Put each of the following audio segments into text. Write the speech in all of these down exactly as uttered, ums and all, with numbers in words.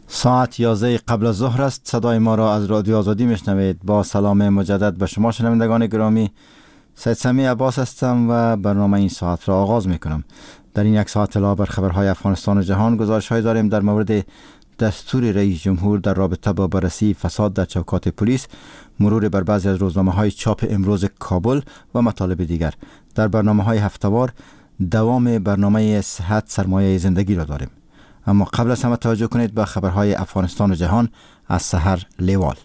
ساعت یازده قبل از ظهر است. صدای ما را از رادیو آزادی میشنوید. با سلام مجدد به شما شنوندگان گرامی، سید سمیع عباس هستم و برنامه این ساعت را آغاز میکنم. در این یک ساعت علاوه بر خبرهای افغانستان و جهان، گزارش های داریم در مورد دستور رئیس جمهور در رابطه با بررسی فساد در چوکات پلیس، مرور بر بعضی از روزنامه های چاپ امروز کابل و مطالب دیگر. در برنامه های هفتوار دوام برنامه صحت سرمایه زندگی را داریم. اما قبل از همه توجه کنید به خبرهای افغانستان و جهان از سحر لیوال.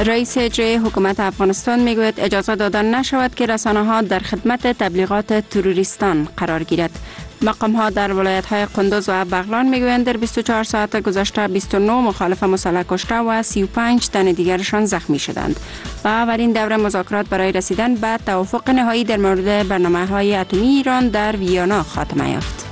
رئیس اجرایی حکومت افغانستان میگوید اجازه دادن نشود که رسانه ها در خدمت تبلیغات تروریستان قرار گیرد. مقام ها در ولایت های قندوز و بغلان میگویند در بیست و چهار ساعت گذشته بیست و نه مخالف مسلح کشته و سی و پنج تن دیگرشان زخمی شدند. و اولین دوره مذاکرات برای رسیدن به توافق نهایی در مورد برنامه های اتمی ایران در ویانا خاتمه یافت.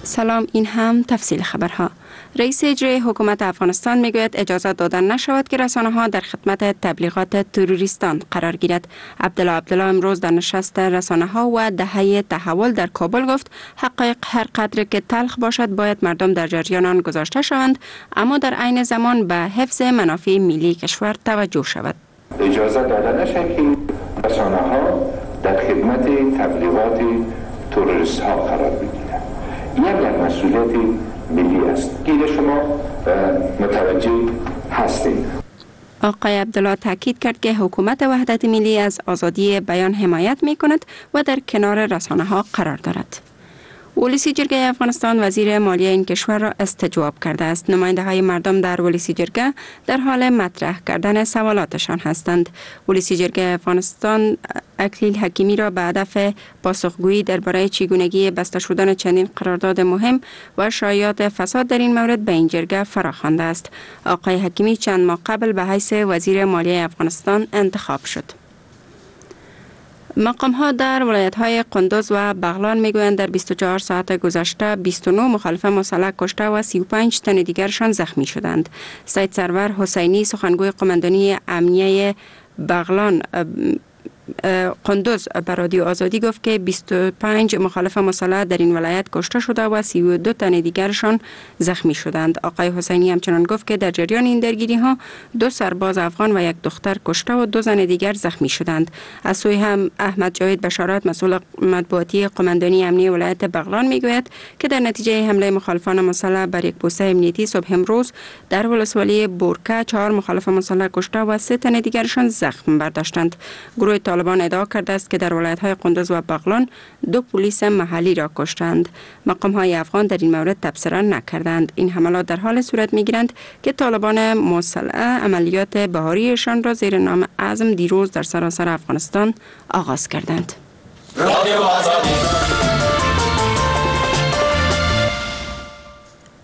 سلام، این هم تفصیل خبرها. رئیس اجرایی حکومت افغانستان میگوید اجازه دادن نشود که رسانه ها در خدمت تبلیغات تروریستان قرار گیرد. عبدالله عبدالله امروز در نشست رسانه ها و دهه تحول در کابل گفت حقایق هر قدر که تلخ باشد باید مردم در جریان آن گذاشته شوند، اما در عین زمان به حفظ منافع ملی کشور توجه شود. اجازه داده نشود که رسانه ها در خدمت تبلیغات تروریست ها قرار بگیرند. این یک مسئولیت ملی است. گیر شما متوجه هستید. آقای عبدالله تاکید کرد که حکومت وحدت ملی از آزادی بیان حمایت می کند و در کنار رسانه ها قرار دارد. ولسی جرگه افغانستان وزیر مالیه این کشور را استجواب کرده است. نماینده های مردم در ولسی جرگه در حال مطرح کردن سوالاتشان هستند. ولسی جرگه افغانستان اکلیل حکیمی را به هدف پاسخگویی درباره چگونگی بسته شدن چندین قرارداد مهم و شایعات فساد در این مورد به این جرگه فراخوانده است. آقای حکیمی چند ماه قبل به حیث وزیر مالیه افغانستان انتخاب شد. مقام ها در ولایت های قندوز و بغلان میگویند در بیست و چهار ساعت گذشته بیست و نه مخالف مسلح کشته و سی و پنج تن دیگرشان زخمی شدند. سید سرور حسینی سخنگوی قماندانی امنیه بغلان قندوز به رادیو آزادی گفت که بیست و پنج مخالف مسلح در این ولایت کشته شده و سی و دو تن دیگرشان زخمی شدند. آقای حسینی همچنان گفت که در جریان این درگیری ها دو سرباز افغان و یک دختر کشته و دو زن دیگر زخمی شدند. از سوی هم احمد جاوید بشارت مسئول مطبوعاتی قماندانی امنی ولایت بغلان میگوید که در نتیجه حمله مخالفان مسلح بر یک پوسته امنیتی صبح امروز در ولسوالی بورکه چهار مخالف مسلح کشته و سه تن دیگرشان زخم برداشتند. گروه طالبان ادعا کرده است که در ولایت‌های قندوز و بغلان دو پلیس محلی را کشتند. مقام‌های افغان در این مورد تبصره نکردند. این حملات در حال صورت می‌گیرند که طالبان مسلح عملیات بهاریشان را زیر نام عزم دیروز در سراسر افغانستان آغاز کردند.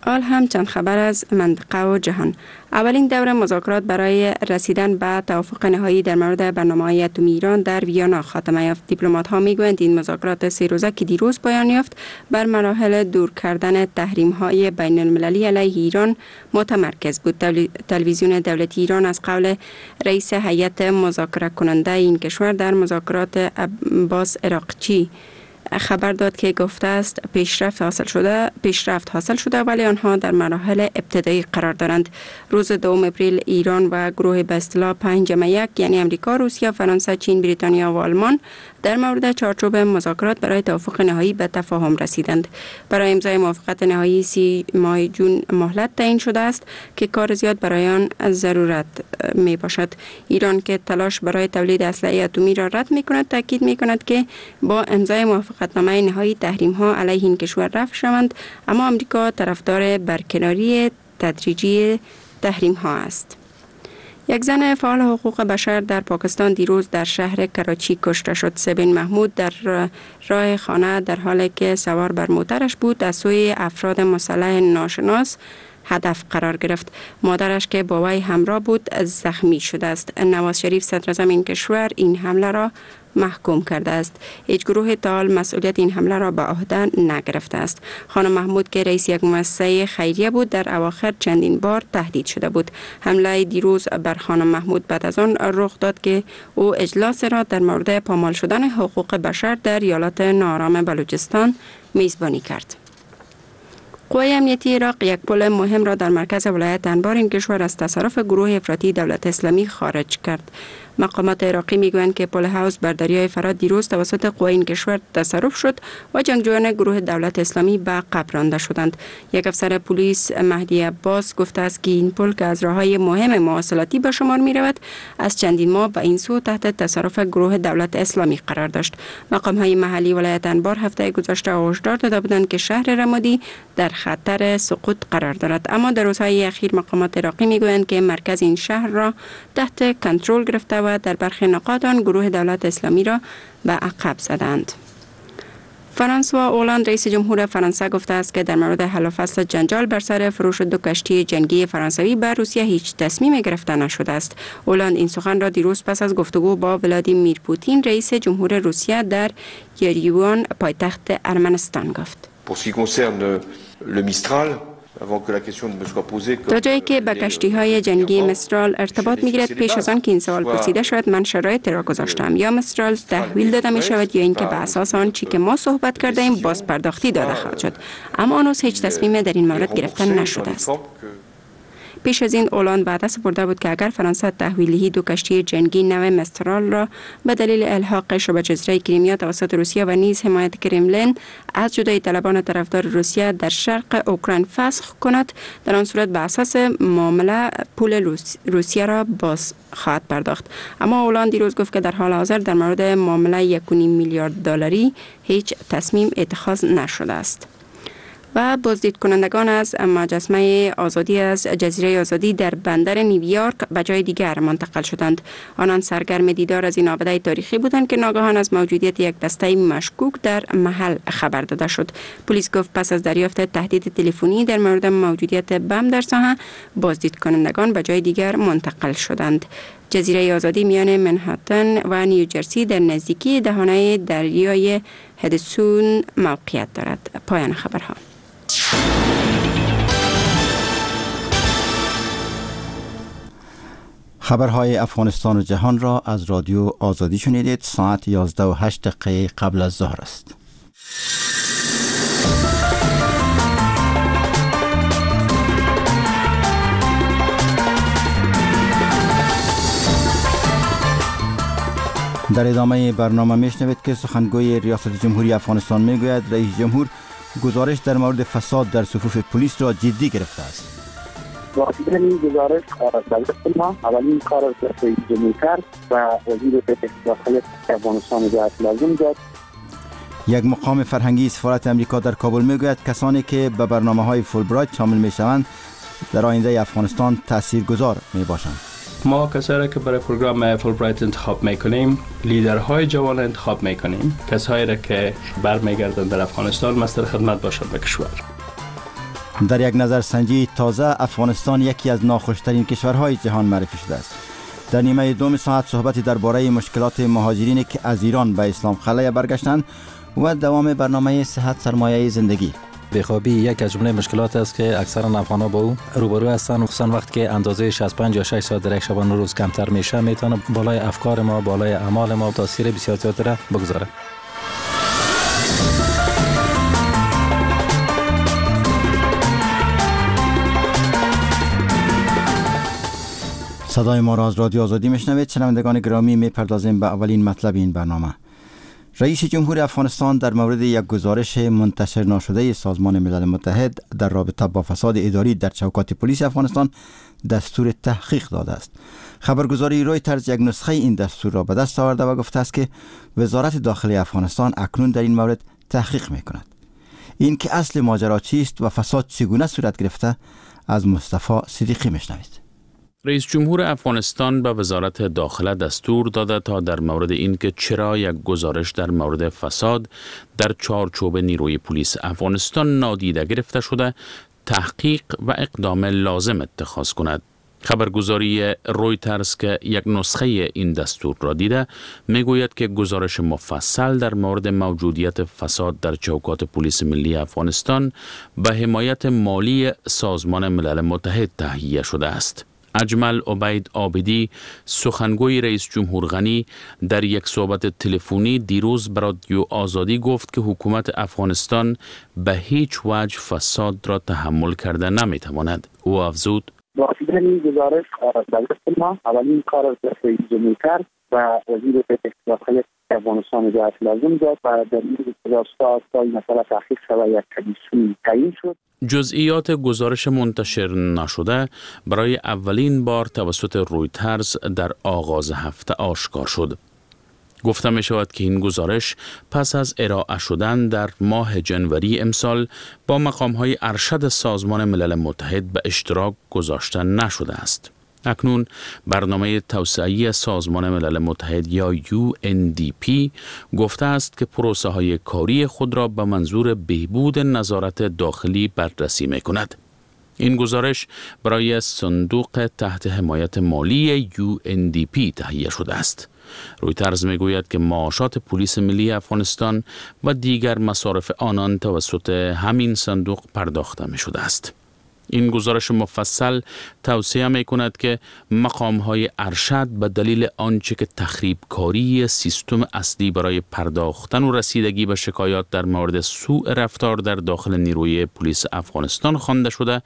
حال هم چند خبر از منطقه و جهان. اولین دور مذاکرات برای رسیدن به توافق نهایی در مورد برنامه‌های اتمی ایران در ویانا خاتمه یافت. دیپلمات‌ها میگویند این مذاکرات سه روزه که دیروز پایان یافت بر مراحل دور کردن تحریم‌های بین المللی علیه ایران متمرکز بود. تلویزیون دولتی ایران از قول رئیس هیئت مذاکره کننده این کشور در مذاکرات عباس عراقچی خبر داد که گفته است پیشرفت حاصل شده پیشرفت حاصل شده ولی آنها در مراحل ابتدایی قرار دارند. روز دوم اپریل ایران و گروه به اصطلاح پنج جمع یک یعنی امریکا، روسیه، فرانسه، چین، بریتانیا و آلمان در مورد چارچوب مذاکرات برای توافق نهایی به تفاهم رسیدند. برای امضای موافقت نهایی سی ماه جون مهلت تعیین شده است که کار زیاد برای آن ضرورت می باشد. ایران که تلاش برای تولید اسلحه اتمی را رد می کند تاکید می کند که با امضای موافقتنامه نهایی تحریم ها علیه این کشور رفع شوند، اما آمریکا طرفدار برکناری تدریجی تحریم ها است. یک زن فعال حقوق بشر در پاکستان دیروز در شهر کراچی کشته شد. سبین محمود در راه خانه در حالی که سوار بر موترش بود از سوی افراد مسلح ناشناس هدف قرار گرفت. مادرش که با وی همراه بود زخمی شده است. نواز شریف صدراعظم این کشور این حمله را محکوم کرده است. هیچ گروه تا حال مسئولیت این حمله را به عهده نگرفته است. خانم محمود که رئیس یک مؤسسه خیریه بود در اواخر چندین بار تهدید شده بود. حمله دیروز بر خانم محمود بعد از آن رخ داد که او اجلاس را در مورد پامال شدن حقوق بشر در ایالات ناآرام بلوچستان میزبانی کرد. قوای امنیتی عراق یک پل مهم را در مرکز ولایت انبار این کشور از تصرف گروه افراطی دولت اسلامی خارج کرد. مقامات عراقی میگویند که پل هاوس بر دریای فرات دیروز توسط قوای این کشور تصرف شد و جنگجویان گروه دولت اسلامی به عقب رانده شدند. یک افسر پلیس مهدی عباس گفته است که این پل که از راه‌های مهم مواصلاتی به شمار می رود از چندین ماه به این سو تحت تصرف گروه دولت اسلامی قرار داشت. مقام‌های محلی ولایت انبار هفته گذشته هشدار داده بودند که شهر رمادی در خطر سقوط قرار دارد، اما در روزهای اخیر مقامات عراقی میگویند که مرکز این شهر را تحت کنترل گرفته و در برخی نقاط آن گروه دولت اسلامی را به عقب زدند. فرانسوا اولاند رئیس جمهور فرانسه گفته است که در مورد حل و فصل جنجال بر سر فروش دو کشتی جنگی فرانسوی به روسیه هیچ تصمیم گرفته نشده است. اولاند این سخن را دیروز پس از گفتگو با ولادیمیر پوتین رئیس جمهور روسیه در یریوان پایتخت ارمنستان گفت. تا جایی که به کشتی های جنگی مسترال ارتباط می گیرد، پیش از آن که این سوال پرسیده شود من شرایط را گذاشتم. یا مسترال تحویل داده می شود یا اینکه به اساس آن چی که ما صحبت کرده ایم باز پرداختی داده خواهد شد، اما هنوز هیچ تصمیم در این مورد گرفته نشده است. پیش از این اولاند وعده سپرده بود که اگر فرانسه تحویلی دو کشتی جنگی نوع مسترال را به دلیل الحاق شبه جزیره کریمیا توسط روسیه و نیز حمایت کرملین از جدایی طلبان طرفدار روسیه در شرق اوکراین فسخ کند، در آن صورت به اساس معامله پول روسیه را باز خواهد پرداخت. اما اولاند دیروز گفت که در حال حاضر در مورد معامله یک و نیم میلیارد دلاری هیچ تصمیم اتخاذ نشده است. و بازدید کنندگان از مجسمه آزادی از جزیره آزادی در بندر نیویورک به جای دیگر منتقل شدند. آنان سرگرم دیدار از این آبده تاریخی بودند که ناگهان از موجودیت یک دسته مشکوک در محل خبر داده شد. پلیس گفت پس از دریافت تهدید تلفنی در مورد موجودیت بم در ساحه، بازدید کنندگان به جای دیگر منتقل شدند. جزیره آزادی میان منهاتن و نیوجرسی در نزدیکی دهانه دریای هدسون موقعیت دارد. پایان خبرها. خبرهای افغانستان و جهان را از رادیو آزادی شنیدید. ساعت یازده و هشت دقیقه قبل از ظهر است. در ادامه برنامه میشنوید که سخنگوی ریاست جمهوری افغانستان میگوید رئیس جمهور گزارش در مورد فساد در صفوف پلیس را جدی گرفته است. رسیدن این گزارش دولت ما اولین کار از رئیس جمهور کرد و وزیر داخله افغانستان جهت لازم داد. یک مقام فرهنگی سفارت امریکا در کابل میگوید کسانی که به برنامه‌های فولبرایت شامل میشوند در آینده افغانستان تاثیرگذار میباشند. ما کسایی را که برای پروگرام فولبرایت انتخاب میکنیم، لیدرهای جوان انتخاب میکنیم، کسایی را که برمیگردند در افغانستان مستر خدمت باشند به کشور. در یک نظرسنجی تازه افغانستان یکی از ناخوشترین کشورهای جهان معرفی شده است. در نیمه دوم ساعت صحبتی درباره مشکلات مهاجرین که از ایران به اسلام قلعه برگشتند و دوام برنامه صحت سرمایه زندگی. بیخوابی یک از جمله مشکلات است که اکثرا افغان‌ها با او روبرو هستند، خصوصا وقتی که اندازه شصت و پنج یا شش ساعت در یک شبانه روز کمتر میشه، میتونه بالای افکار ما، بالای اعمال ما تاثیر بسیار زیادی را بگذاره. صدای ما را از رادیو آزادی میشنوید. شنوندگان گرامی، میپردازیم به اولین مطلب این برنامه. رئیس جمهور افغانستان در مورد یک گزارش منتشر ناشده سازمان ملل متحد در رابطه با فساد اداری در چوکات پلیس افغانستان دستور تحقیق داده است. خبرگزاری رویترز یک نسخه این دستور را به دست آورده و گفته است که وزارت داخله افغانستان اکنون در این مورد تحقیق میکند. این که اصل ماجرا چیست و فساد چگونه صورت گرفته از مصطفی صدیقی میشنوید. رئیس جمهور افغانستان به وزارت داخله دستور داده تا در مورد اینکه چرا یک گزارش در مورد فساد در چارچوب نیروی پلیس افغانستان نادیده گرفته شده تحقیق و اقدام لازم اتخاذ کند. خبرگزاری رویترز که یک نسخه این دستور را دیده میگوید که گزارش مفصل در مورد موجودیت فساد در چوکات پلیس ملی افغانستان به حمایت مالی سازمان ملل متحد تهیه شده است. اجمل عبید عابدی، سخنگوی رئیس جمهور غنی، در یک صحبت تلفنی دیروز به رادیو آزادی گفت که حکومت افغانستان به هیچ وجه فساد را تحمل کرده نمیتواند. او افزود: با دیدن گزارش دست ما اولین کار از رئیس جمهور کرد و وزیر داخله افغانستان اجازه لازم داد و در این راستا تا این مسئله تحقیق شود یک کمیسیون تعیین شد. جزئیات گزارش منتشر نشده برای اولین بار توسط رویترز در آغاز هفته آشکار شد. گفته می شود که این گزارش پس از ارائه شدن در ماه جنوری امسال با مقام های ارشد سازمان ملل متحد به اشتراک گذاشته نشده است. اکنون برنامه توسعه سازمان ملل متحد یا یو ان دی پی گفته است که پروسه های کاری خود را به منظور بهبود نظارت داخلی بررسی می کند. این گزارش برای صندوق تحت حمایت مالی یو ان دی پی تهیه شده است. رویترز میگوید که معاشات پلیس ملی افغانستان و دیگر مصارف آنان توسط همین صندوق پرداخته می شده است. این گزارش مفصل توصیه می کند که مقام های ارشد به دلیل آنچه که تخریب کاری سیستم اصلی برای پرداختن و رسیدگی به شکایات در مورد سوء رفتار در داخل نیروی پلیس افغانستان خوانده شده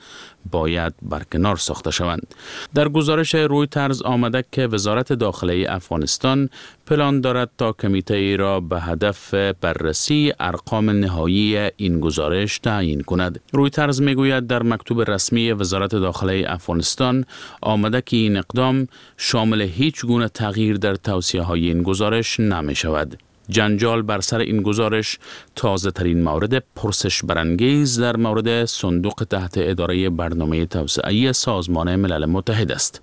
باید برکنار ساخته شوند. در گزارش رویترز آمده که وزارت داخله افغانستان پلان دارد تا کمیته ای را به هدف بررسی ارقام نهایی این گزارش تعیین کند. رویترز میگوید در مکتوب رسمی وزارت داخله افغانستان آمده که این اقدام شامل هیچ گونه تغییر در توصیه های این گزارش نمی شود. جنجال بر سر این گزارش تازه ترین مورد پرسش برانگیز در مورد صندوق تحت اداره برنامه توسعه سازمان ملل متحد است.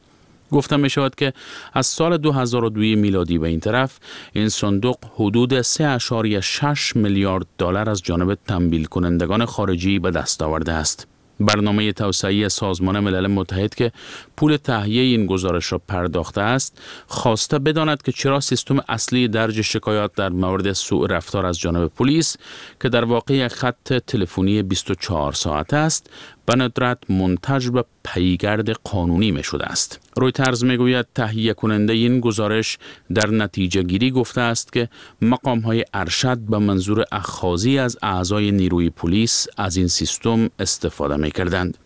گفته می شود که از سال دو هزار و دو میلادی به این طرف این صندوق حدود سه اعشاریه شش میلیارد دلار از جانب تمویل کنندگان خارجی به دست آورده است. برنامه توسعه سازمان ملل متحد که پول تهیه این گزارش را پرداخته است، خواسته بداند که چرا سیستم اصلی درج شکایات در مورد سوء رفتار از جانب پلیس که در واقع خط تلفنی بیست و چهار ساعته است، به ندرت منتج به پیگرد قانونی می شده است. رویترز می گوید تهیه کننده این گزارش در نتیجه گیری گفته است که مقام های ارشد به منظور اخاذی از اعضای نیروی پلیس از این سیستم استفاده می کردند.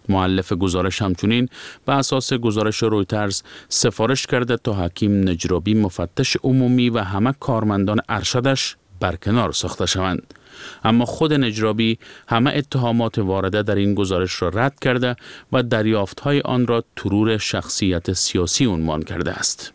مؤلف گزارش همچنین به اساس گزارش رویترز سفارش کرده تا حکیم نجرابی مفتش عمومی و همه کارمندان ارشدش برکنار ساخته شوند. اما خود نجرابی همه اتهامات وارده در این گزارش را رد کرده و دریافت‌های آن را ترور شخصیت سیاسی عنوان کرده است.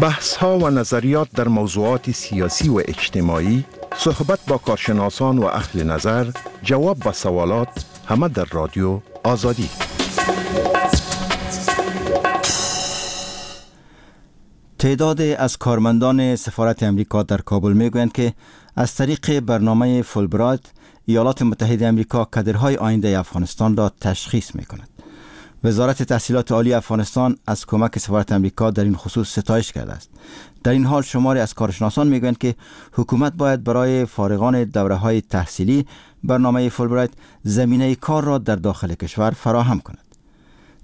بحث‌ها و نظریات در موضوعات سیاسی و اجتماعی، صحبت با کارشناسان و اهل نظر، جواب به سوالات، همه در رادیو آزادی. تعداد از کارمندان سفارت امریکا در کابل میگویند که از طریق برنامه فولبرایت ایالات متحده امریکا کادرهای آینده افغانستان را تشخیص میکند. وزارت تحصیلات عالی افغانستان از کمک سفارت امریکا در این خصوص ستایش کرده است. در این حال شماری از کارشناسان میگویند که حکومت باید برای فارغان دوره‌های تحصیلی برنامه فولبرایت زمینه کار را در داخل کشور فراهم کند.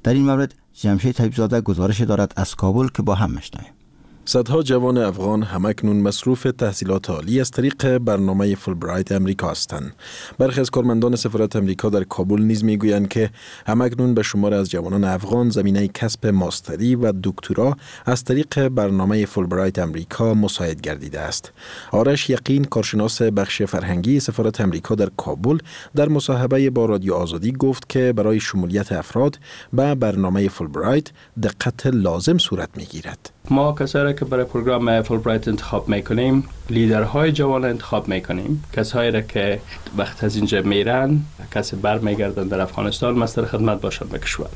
در این مورد جمشید حبیب‌زاده گزارش دارد از کابل که با هم میشنویم. صدها جوان افغان همکنون مصروف تحصیلات عالی از طریق برنامه فولبرایت امریکا هستند. برخی از کارمندان سفارت امریکا در کابل نیز میگویند که همکنون به شمار از جوانان افغان زمینه کسب ماستری و دکترا از طریق برنامه فولبرایت امریکا مساعد گردیده است. آرش یقین، کارشناس بخش فرهنگی سفارت امریکا در کابل، در مصاحبه با رادیو آزادی گفت که برای شمولیت افراد به برنامه فولبرایت دقت لازم صورت میگیرد. ما کسایی که برای پروگرام فولبرایت انتخاب میکنیم، لیدرهای جوان انتخاب میکنیم، کسایی را که وقت از اینجا میرن، کسی برمیگردن در افغانستان مستر خدمت باشن به کشور.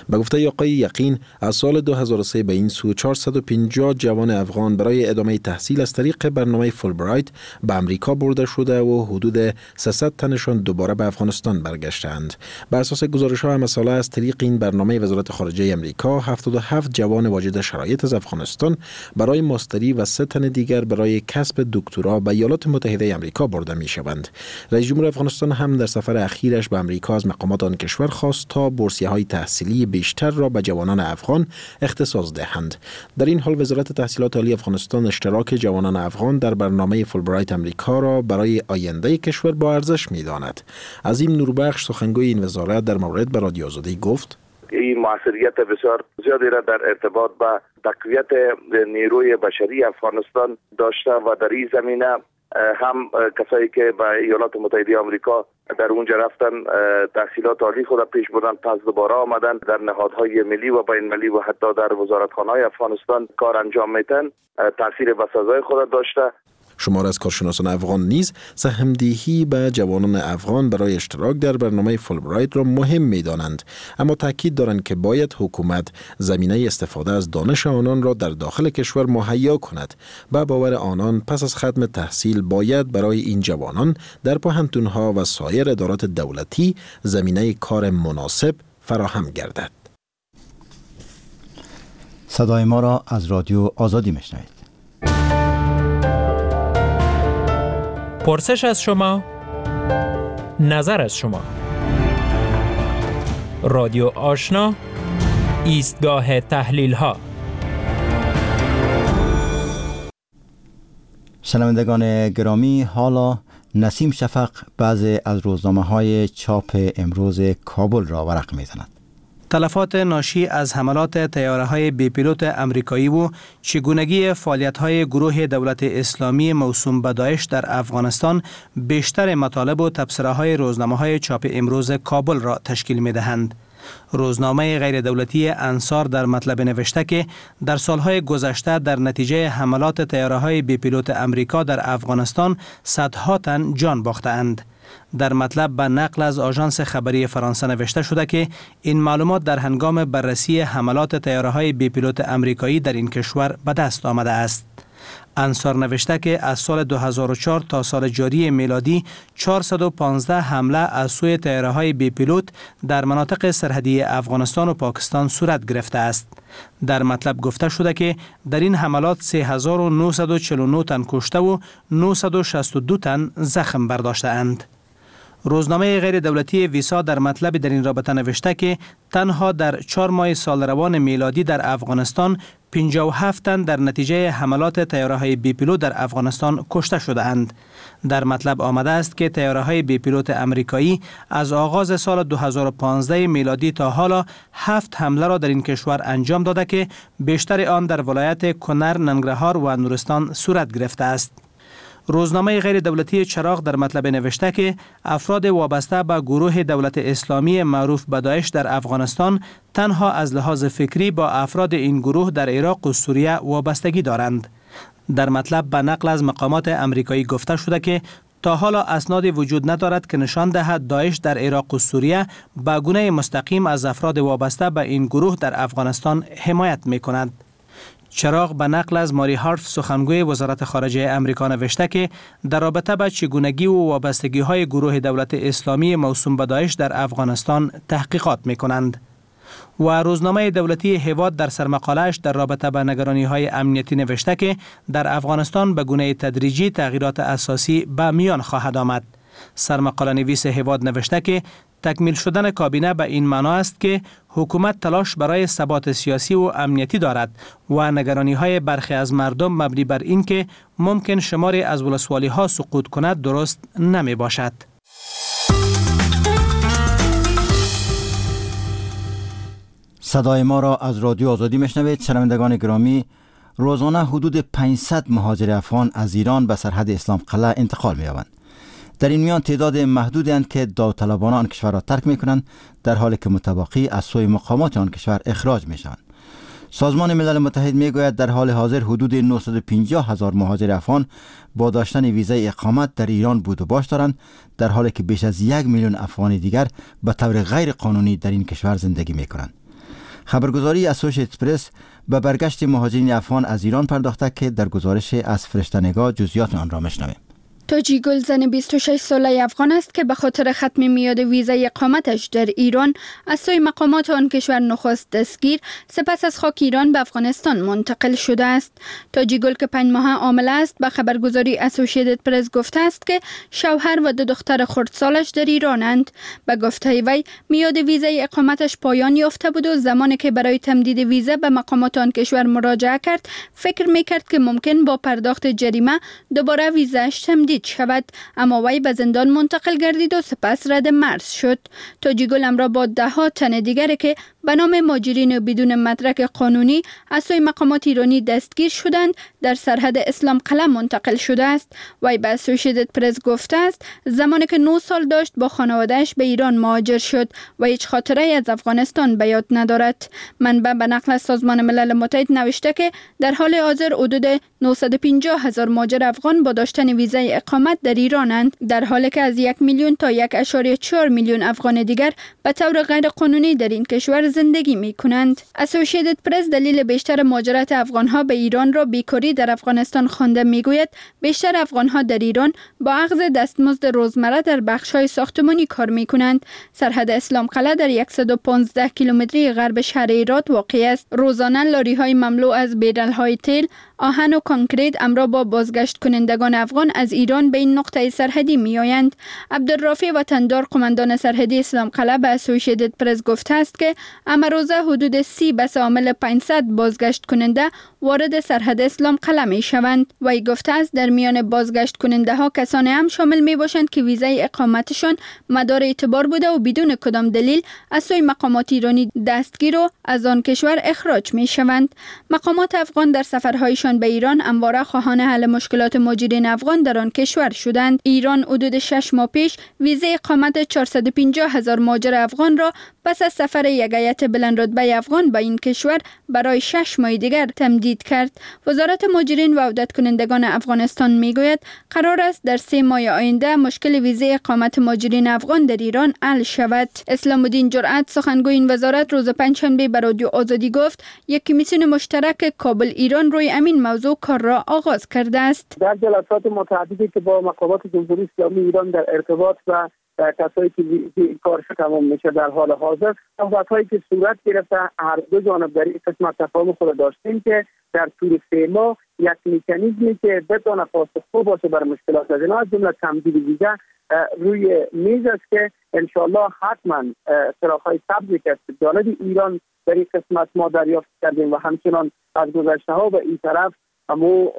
به گفته آقای یقین، از سال دو هزار و سه به این سو چهارصد و پنجاه جوان افغان برای ادامه تحصیل از طریق برنامه فولبرایت به امریکا برده شده و حدود سیصد تنشان دوباره به افغانستان برگشتند. بر اساس گزارش‌ها همساله از طریق این برنامه وزارت خارجه امریکا هفتاد و هفت جوان واجد شرایط از افغانستان برای ماستری و سه تن دیگر برای کسب دکترا به ایالات متحده امریکا برده می شوند. رئیس جمهور افغانستان هم در سفر اخیرش به امریکا از مقامات آن کشور خواست تا بورسیه‌های تحصیلی بیشتر را به جوانان افغان اختصاص دهند. در این حال وزارت تحصیلات عالی افغانستان اشتراک جوانان افغان در برنامه فولبرایت امریکا را برای آینده کشور با ارزش می داند. عظیم نوربخش سخنگوی این وزارت در مورد به رادیو آزادی گفت: این موثریت بسیار زیادی را در ارتباط با تقویت نیروی بشری افغانستان داشته و در این زمینه هم کسایی که به ایالات متحده آمریکا در اونجا رفتن تحصیلات عالی خود پیش بردن، پس دوباره آمدن در نهادهای ملی و بین المللی و حتی در وزارتخانه‌های افغانستان کار انجام میتن، تاثیر بسزای خود داشته. شمار از کارشناسان افغان نیز سهمدهی به جوانان افغان برای اشتراک در برنامه فولبرایت را مهم می‌دانند، اما تاکید دارند که باید حکومت زمینه استفاده از دانش آنان را در داخل کشور مهیا کند. به باور آنان پس از ختم تحصیل باید برای این جوانان در پوهنتون‌ها و سایر ادارات دولتی زمینه کار مناسب فراهم گردد. صدای ما را از رادیو آزادی می‌شنوید. پرسش از شما، نظر از شما. رادیو آشنا، ایستگاه تحلیل ها. شنوندگان گرامی، حالا نسیم شفق بعضی از روزنامه های چاپ امروز کابل را ورق می‌زند. تلفات ناشی از حملات طیاره‌های بی پیلوت امریکایی و چگونگی فعالیت‌های گروه دولت اسلامی موسوم به داعش در افغانستان بیشتر مطالب و تبصره‌های روزنامه‌های چاپ امروز کابل را تشکیل می‌دهند. روزنامه غیر دولتی انصار در مطلب نوشته که در سالهای گذشته در نتیجه حملات طیاره‌های بی پیلوت امریکا در افغانستان صدها تن جان باختند. در مطلب به نقل از آژانس خبری فرانسه نوشته شده که این معلومات در هنگام بررسی حملات طیاره‌های بی پیلوت امریکایی در این کشور به دست آمده است. انصار نوشته که از سال دو هزار و چهار تا سال جاری میلادی چهارصد و پانزده حمله از سوی طیاره‌های بی پیلوت در مناطق سرحدی افغانستان و پاکستان صورت گرفته است. در مطلب گفته شده که در این حملات سه هزار و نهصد و چهل و نه تن کشته و نهصد و شصت و دو تن زخم برداشته اند. روزنامه غیر دولتی ویسا در مطلب در این رابطه نوشته که تنها در چهار ماه سال روان میلادی در افغانستان پنجاه و هفت تن در نتیجه حملات طیاره‌های بی پیلوت در افغانستان کشته شده اند. در مطلب آمده است که طیاره‌های بی پیلوت امریکایی از آغاز سال دو هزار و پانزده میلادی تا حالا هفت حمله را در این کشور انجام داده که بیشتر آن در ولایت کنر، ننگرهار و نورستان صورت گرفته است. روزنامه غیر دولتی چراغ در مطلب نوشته که افراد وابسته به گروه دولت اسلامی معروف به داعش در افغانستان تنها از لحاظ فکری با افراد این گروه در عراق و سوریه وابستگی دارند. در مطلب به نقل از مقامات امریکایی گفته شده که تا حالا اسنادی وجود ندارد که نشان دهد داعش در عراق و سوریه به گونه مستقیم از افراد وابسته به این گروه در افغانستان حمایت می کند. چراغ به نقل از ماری هارف سخنگوی وزارت خارجه امریکا نوشته که در رابطه با چگونگی و وابستگی های گروه دولت اسلامی موسوم به داعش در افغانستان تحقیقات می کنند. و روزنامه دولتی هیواد در سرمقاله‌اش در رابطه با نگرانی های امنیتی نوشته که در افغانستان به گونه تدریجی تغییرات اساسی به میان خواهد آمد. سرمقاله نویس هیواد نوشته که تکمیل شدن کابینه به این معنا است که حکومت تلاش برای ثبات سیاسی و امنیتی دارد و نگرانی های برخی از مردم مبنی بر این که ممکن شماری از ولسوالی ها سقوط کند درست نمی باشد. صدای ما را از رادیو آزادی میشنوید. شنوندگان گرامی، روزانه حدود پانصد مهاجر افغان از ایران به سرحد اسلام قلعه انتقال می‌یابند. در این میان تعداد محدودی اند که داوطلبانه آن کشور را ترک می‌کنند، در حالی که متباقی از سوی مقامات آن کشور اخراج می‌شوند. سازمان ملل متحد میگوید در حال حاضر حدود نهصد و پنجاه هزار مهاجر افغان با داشتن ویزای اقامت در ایران بود و باش دارند، در حالی که بیش از یک میلیون افغان دیگر به طور غیر قانونی در این کشور زندگی میکنند. خبرگزاری اسوسییتد پرس به برگشت مهاجرین افغان از ایران پرداخته که در گزارش از فرشته نگاه جزئیات آن را میشنویم. تاجی گل زن بیست و شش ساله افغان است که به خاطر ختم میعاد ویزای اقامتش در ایران از سوی مقامات آن کشور نخست دستگیر، سپس از خاک ایران به افغانستان منتقل شده است. تاجی گل که پنج ماه عامل است به خبرگزاری اسوسییتد پرس گفته است که شوهر و دو دختر خردسالش در ایرانند. به گفته وی میعاد ویزای اقامتش پایان یافته بود و زمانی که برای تمدید ویزا به مقامات آن کشور مراجعه کرد، فکر میکرد که ممکن با پرداخت جریمه دوباره ویزاش تمدید شود، اما وی به زندان منتقل گردید و سپس رد مرز شد. تاجی گل همراه با ده ها تن دیگر که به نام مهاجرین بدون مدرک قانونی از سوی مقامات ایرانی دستگیر شدند، در سرحد اسلام قلعه منتقل شده است. وی به اسوسییتد پرس گفته است زمانی که نه سال داشت با خانواده‌اش به ایران مهاجر شد و هیچ خاطره از افغانستان به یاد ندارد. منبع به نقل از سازمان ملل متحد نوشته که در حال حاضر حدود نهصد و پنجاه هزار مهاجر افغان با داشتن ویزای اقامت در ایرانند، در حالی که از یک میلیون تا یک اعشاریه چهار میلیون افغان دیگر به طور غیر قانونی در این کشور زندگی می کنند. اسوسییتد پرس دلیل بیشتر مهاجرت افغانها به ایران را بیکاری در افغانستان خوانده می گوید بیشتر افغانها در ایران با اخذ دستمزد روزمره در بخش‌های ساختمانی کار می کنند. سرحد اسلام قلعه در صد و پانزده کیلومتری غرب شهر هرات واقع است. روزانه لاری‌های مملو از بیرل‌های تیل، آهن و کانکریت همراه با بازگشت کنندگان افغان از ایران به این نقطه سرحدی می آیند. عبدالرافع وطندار قماندان سرحدی اسلام قلعه به اسوسییتد پرس گفته است که امروزه حدود سی بس عامل پانصد بازگشت کننده وارد سرحد اسلام قلعه می شوند. وی گفته است در میان بازگشت کننده ها کسانی هم شامل می باشند که ویزای اقامتشان مدار اعتبار بوده و بدون کدام دلیل از سوی مقامات ایرانی دستگیر و از آن کشور اخراج می شوند. مقامات افغان در سفرهایشان به ایران همواره خواهان حل مشکلات مهاجرین افغان در آن کشور شدند. ایران حدود شش ماه پیش ویزای اقامت چهارصد و پنجاه هزار مهاجر افغان را پس از سفر یک هیئت بلند رتبه افغان به این کشور برای شش ماه دیگر تمدید کرد. وزارت مهاجرین و عودت کنندگان افغانستان میگوید قرار است در سه ماه آینده مشکل ویزای اقامت مهاجرین افغان در ایران حل شود. اسلام الدین جرأت سخنگوی این وزارت روز پنجشنبه به رادیو آزادی گفت یک کمیسیون مشترک کابل ایران روی همین موضوع کار را آغاز کرده است. در جلسات متعددی که با مقامات جمهوری اسلامی ایران در ارتباط و کسایی که کارش تمام میشه در حال حاضر، صحبت‌هایی که صورت گرفته هر دو جانب در این قسمت تفاهم خود داشتیم که در طول سه ماه یک مکانیزمی که بتونه پاسخگو باشه بر مشکلات از اینا از جمله تمدید ویزا روی میز است که انشالله حتما چراغ‌های سبزی که از جانب ایران در این قسمت ما دریافت کردیم و همچنان از گذشته ها به این طرف امو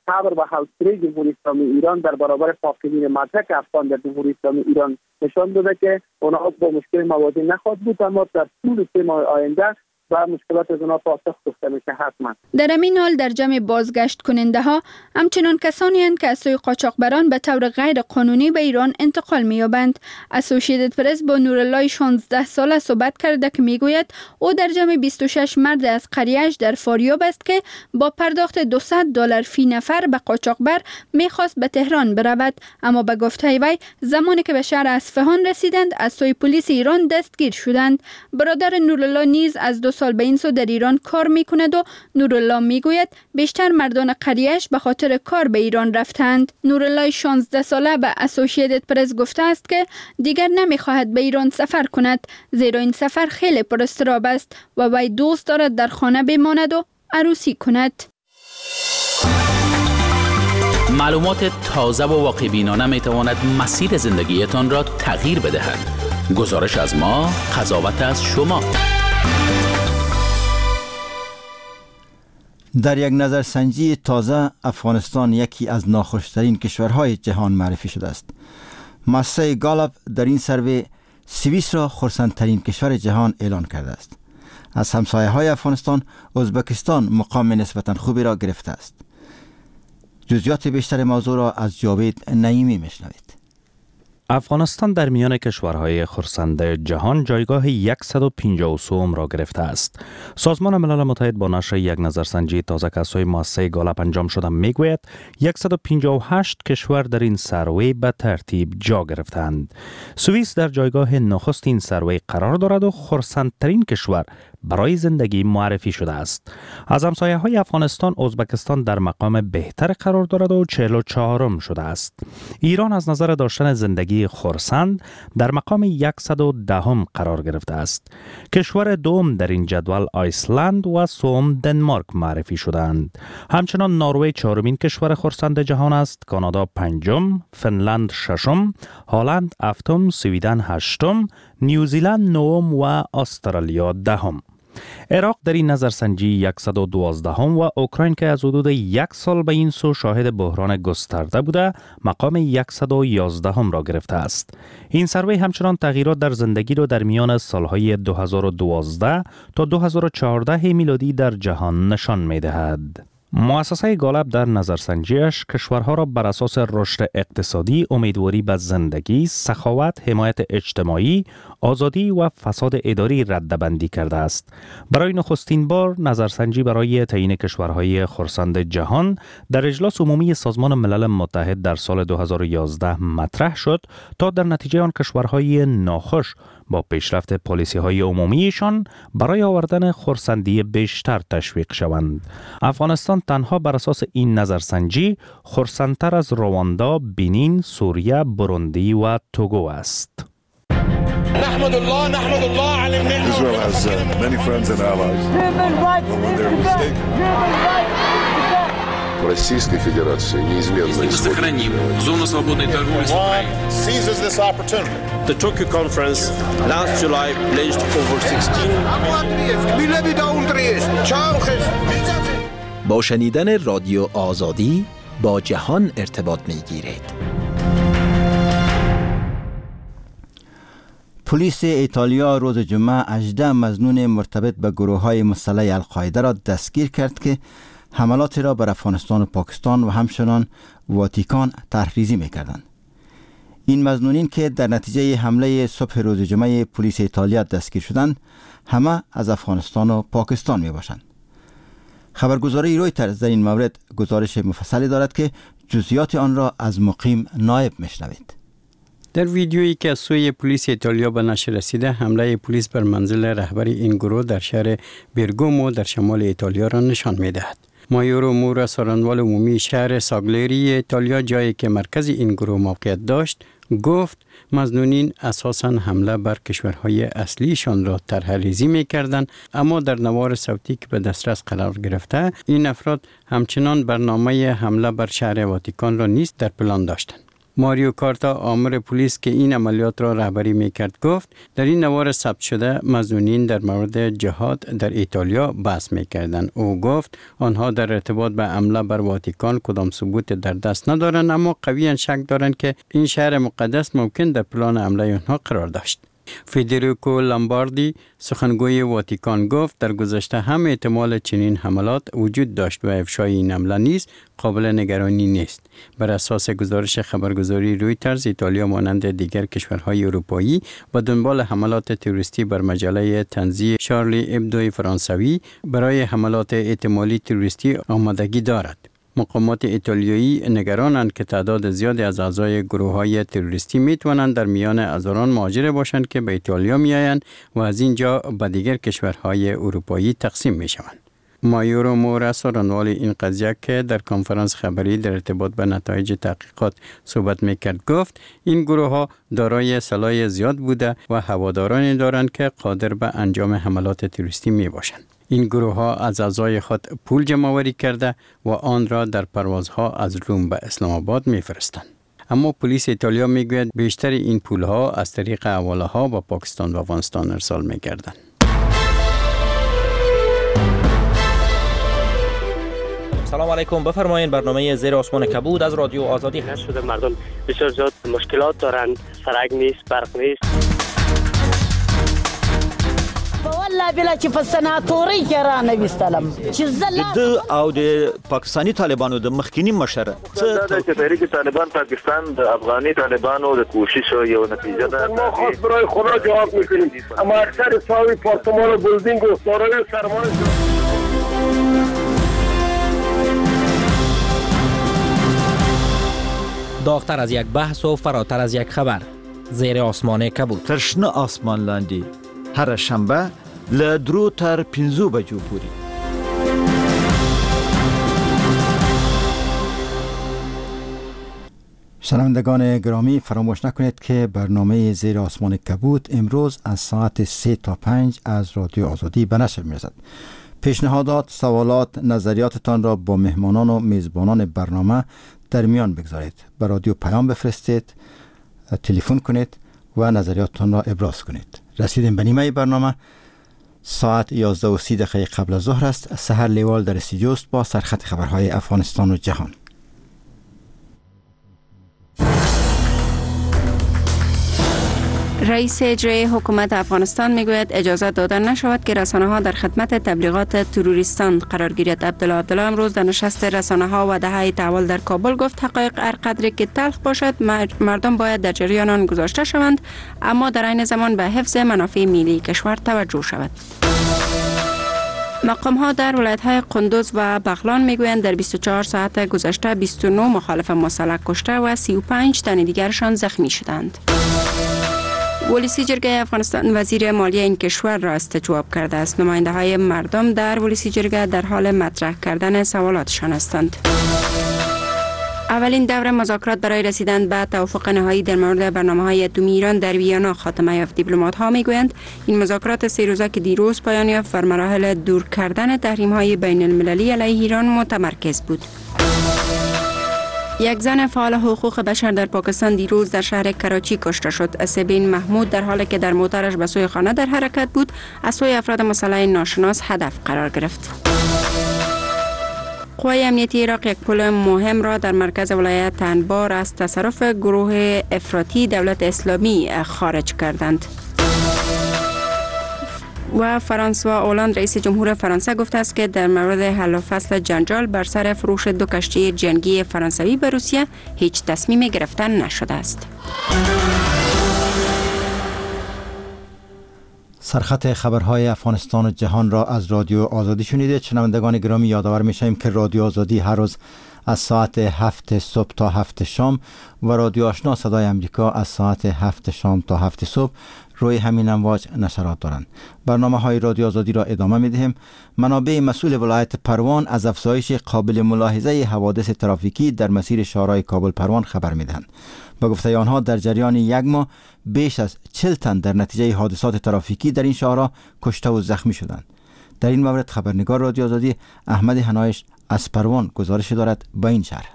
صبر و حوصله جمهوری اسلامی ایران در برابر فاقدین مدرک افغان در جمهوری اسلامی ایران نشان داده که اونها با مشکل مواجه نخواهد بود، اما در طول سه ماه آینده و مشکلات از آنها پاسخ گفته میشه حتما. در همین حال در جمع بازگشت کننده ها همچنان کسانی هستند که از سوی قاچاقبران به طور غیر قانونی به ایران انتقال می‌یابند. اسوسییتد پرس با نورالله شانزده ساله صحبت کرده که میگوید او در جمع بیست و شش مرد از قریه‌اش در فاریاب است که با پرداخت دویست دلار فی نفر به قاچاقبر میخواست به تهران برود، اما به گفته وی زمانی که به شهر اصفهان رسیدند از سوی پلیس ایران دستگیر شدند. برادر نورالله نیز از دو سال به این سو در ایران کار میکند و نورالله میگوید بیشتر مردان قریه‌اش به خاطر کار به ایران رفتند. نورالله شانزده ساله به اسوسییتد پرس گفته است که دیگر نمیخواهد به ایران سفر کند، زیرا این سفر خیلی پر اضطراب است و وی دوست دارد در خانه بماند و عروسی کند. معلومات تازه و واقع بینانه میتواند مسیر زندگیتان را تغییر بدهد. گزارش از ما، قضاوت از شما. در یک نظرسنجی تازه افغانستان یکی از ناخوشترین کشورهای جهان معرفی شده است. مؤسسه گالوپ در این سروی سوئیس را خرسندترین کشور جهان اعلان کرده است. از همسایه های افغانستان، ازبکستان مقام نسبتا خوبی را گرفته است. جزئیات بیشتر موضوع را از جاوید نعیمی میشنوید. افغانستان در میان کشورهای خرسند جهان جایگاه صد و پنجاه و سه را گرفته است. سازمان ملل متحد با نشر یک نظرسنجی تازه که از سوی مؤسسه گالپ انجام شده میگوید صد و پنجاه و هشت کشور در این سروی به ترتیب جا گرفتند. سوئیس در جایگاه نخست این سروی قرار دارد و خرسندترین کشور برای زندگی معرفی شده است. از همسایه های افغانستان، ازبکستان در مقام بهتر قرار دارد و چهل و چهارم شده است. ایران از نظر داشتن زندگی خرسند در مقام صد و ده قرار گرفته است. کشور دوم در این جدول آیسلند و سوم دنمارک معرفی شدند. همچنان نروژ چهارمین کشور خرسند جهان است، کانادا پنجم، فنلند ششم، هلند هفتم، سوئدن هشتم، نیوزیلند نهم و استرالیا دهم. عراق در این نظرسنجی صد و دوازده و اوکراین که از حدود یک سال به این سو شاهد بحران گسترده بوده مقام صد و یازده را گرفته است. این سروی همچنان تغییرات در زندگی را در میان سالهای دو هزار و دوازده تا دو هزار و چهارده میلادی در جهان نشان می‌دهد. مؤسسه گالپ در نظرسنجیش کشورها را بر اساس رشد اقتصادی، امیدواری به زندگی، سخاوت، حمایت اجتماعی، آزادی و فساد اداری ردبندی کرده است. برای نخستین بار نظرسنجی برای تعیین کشورهای خرسند جهان در اجلاس عمومی سازمان ملل متحد در سال دو هزار و یازده مطرح شد تا در نتیجه آن کشورهای ناخوش با پیشرفت پالیسی های عمومیشان برای آوردن خرسندی بیشتر تشویق شوند. افغانستان تنها بر اساس این نظرسنجی خرسندتر از رواندا، بنین، سوریه، بوروندی و توگو است. Israel has uh, many friends and allies. But when they're mistaken, Российской Федерации неизменно сохраним зону свободной торговли с Украиной. The Tokyo conference last July pledged over sixteen. با شنیدن رادیو آزادی با جهان ارتباط می‌گیرید. پلیس ایتالیا روز جمعه هجده مظنون مرتبط به گروه‌های مسلح القاعده را دستگیر کرد که حملات را بر افغانستان و پاکستان و همچنان واتیکان طرح‌ریزی می‌کردند. این مظنونین که در نتیجه حمله صبح روز جمعه پلیس ایتالیا دستگیر شدند، همه از افغانستان و پاکستان می‌باشند. خبرگزاری رویترز در این مورد گزارش مفصلی دارد که جزئیات آن را از مقیم نایب می‌شنوید. در ویدیویی که از سوی پلیس ایتالیا به نشر رسیده، حمله پلیس بر منزل رهبر این گروه در شهر برگومو در شمال ایتالیا را نشان می‌دهد. مایورو مورا، سارنوال عمومی شهر ساگلیری ایتالیا، جایی که مرکز این گروه موقعیت داشت، گفت مظنونین اساساً حمله بر کشورهای اصلیشان را طرح‌ریزی می‌کردند، اما در نوار صوتی که به دسترس قرار گرفته، این افراد همچنان برنامه حمله بر شهر واتیکان را نیز در پلان داشتند. ماریو کارتا، آمر پلیس که این عملیات را رهبری میکرد، گفت در این نوار ثبت شده مظنونین در مورد جهاد در ایتالیا بحث میکردند. او گفت آنها در ارتباط به حمله بر واتیکان کدام ثبوت در دست ندارند، اما قویا شک دارند که این شهر مقدس ممکن در پلان حمله آنها قرار داشت. فدریکو لامباردی، سخنگوی واتیکان، گفت در گذشته هم احتمال چنین حملات وجود داشت و افشای این حمله نیز قابل نگرانی نیست. بر اساس گزارش خبرگزاری رویترز، ایتالیا مانند دیگر کشورهای اروپایی و دنبال حملات تروریستی بر مجله طنزی شارلی ابدوی فرانسوی برای حملات احتمالی تروریستی آمادگی دارد. مقامات ایتالیایی نگرانند که تعداد زیادی از اعضای گروه‌های تروریستی می‌توانند در میان هزاران مهاجر باشند که به ایتالیا می‌آیند و از اینجا به دیگر کشورهای اروپایی تقسیم می‌شوند. مایورو مورا، سارنوال این قضیه که در کنفرانس خبری در ارتباط به نتایج تحقیقات صحبت میکرد، گفت این گروه ها دارای سلاح زیاد بوده و هوادارانی دارند که قادر به انجام حملات تروریستی می باشند. این گروه ها از اعضای خود پول جمع آوری کرده و آن را در پروازها از روم به اسلام آباد می فرستند. اما پلیس ایتالیا می گوید بیشتر این پول ها از طریق حواله ها به پاکستان و افغانستان ارسال می گردند. سلام علیکم، بفرمایید برنامه زیر آسمان کبود از رادیو آزادی. شده مردم بسیار زیاد مشکلات دارند، سرک نیست، برق نیست. والله بالله چې په سناتورۍ کې رانه وستلم چې زه د او د پاکستاني طالبانو د مخکینی مشر څه چې تحریک طالبان پاکستان د افغاني طالبانو د کوشش یو نتیجه ده. ما خاص برای خدا جواب میکنیم، اما اکثر صاحب پارتمان و بلدینگ و دارای سرمایه. داغتر از یک بحث و فراتر از یک خبر، زیر آسمان کبود. تر شنه آسمان لاندې هره شنبه له درو تر پنځو بجو پورې. شنوندگان گرامی، فراموش نکنید که برنامه زیر آسمان کبود امروز از ساعت سه تا پنج از رادیو آزادی به نشر می‌رسد. پیشنهادات، سوالات، نظریاتتان را با مهمانان و میزبانان برنامه در میان بگذارید. به رادیو پیام بفرستید، تلفن کنید و نظریاتتان را ابراز کنید. رسیدیم به نیمه برنامه. ساعت یازده و سی دقیقه قبل از ظهر است. سحر لیوال در استودیو است با سرخط خبرهای افغانستان و جهان. رئیس اجرایی حکومت افغانستان میگوید اجازه داده نشود که رسانه ها در خدمت تبلیغات تروریستان قرار گیرد. عبدالله عبدالله امروز در نشست رسانه ها و دهه تحول در کابل گفت حقایق هر قدری که تلخ باشد مردم باید در جریان آن گذاشته شوند، اما در عین زمان به حفظ منافع ملی کشور توجه شود. مقام ها در ولایت های قندوز و بغلان میگویند در بیست و چهار ساعت گذشته بیست و نه مخالف مسلح کشته و سی و پنج تن دیگرشان زخمی شدند. ولسی جرگه افغانستان وزیر مالیه این کشور را استجواب کرده است. نماینده های مردم در ولسی جرگه در حال مطرح کردن سوالاتشان هستند. اولین دور مذاکرات برای رسیدن به توافق نهایی در مورد برنامه‌های اتمی ایران در ویانا خاتمه یافت. دیپلمات‌ها میگویند این مذاکرات سه روزه که دیروز پایان یافت بر مراحل دور کردن تحریم‌های بین المللی علیه ایران متمرکز بود. یک زن فعال حقوق بشر در پاکستان دیروز در شهر کراچی کشته شد. سبین محمود در حالی که در موترش به سوی خانه در حرکت بود، از سوی افراد مسلح ناشناس هدف قرار گرفت. قوای امنیتی عراق یک پل مهم را در مرکز ولایت انبار از تصرف گروه افراطی دولت اسلامی خارج کردند. و فرانسوا اولاند رئیس جمهور فرانسه گفته است که در مورد حل و فصل جنجال بر سر فروش دو کشتی جنگی فرانسوی به روسیه هیچ تصمیم گرفتن نشده است. سرخط خبرهای افغانستان و جهان را از رادیو آزادی شنیدید. شنوندگان گرامی، یادآور می‌شویم که رادیو آزادی هر روز از ساعت هفت صبح تا هفت شام و رادیو آشنا صدای امریکا از ساعت هفت شام تا هفت صبح روی همین امواج نشرات دارند. برنامه های رادیو آزادی را ادامه می دهیم. منابع مسئول ولایت پروان از افزایش قابل ملاحظه حوادث ترافیکی در مسیر شاهراه کابل پروان خبر می دهند. به گفته آنها در جریان یک ماه بیش از چهل تن در نتیجه حادثات ترافیکی در این شاهراه کشته و زخمی شدند. در این مورد خبرنگار رادیو آزادی احمد هنایش از پروان گزارش دارد با این شرح.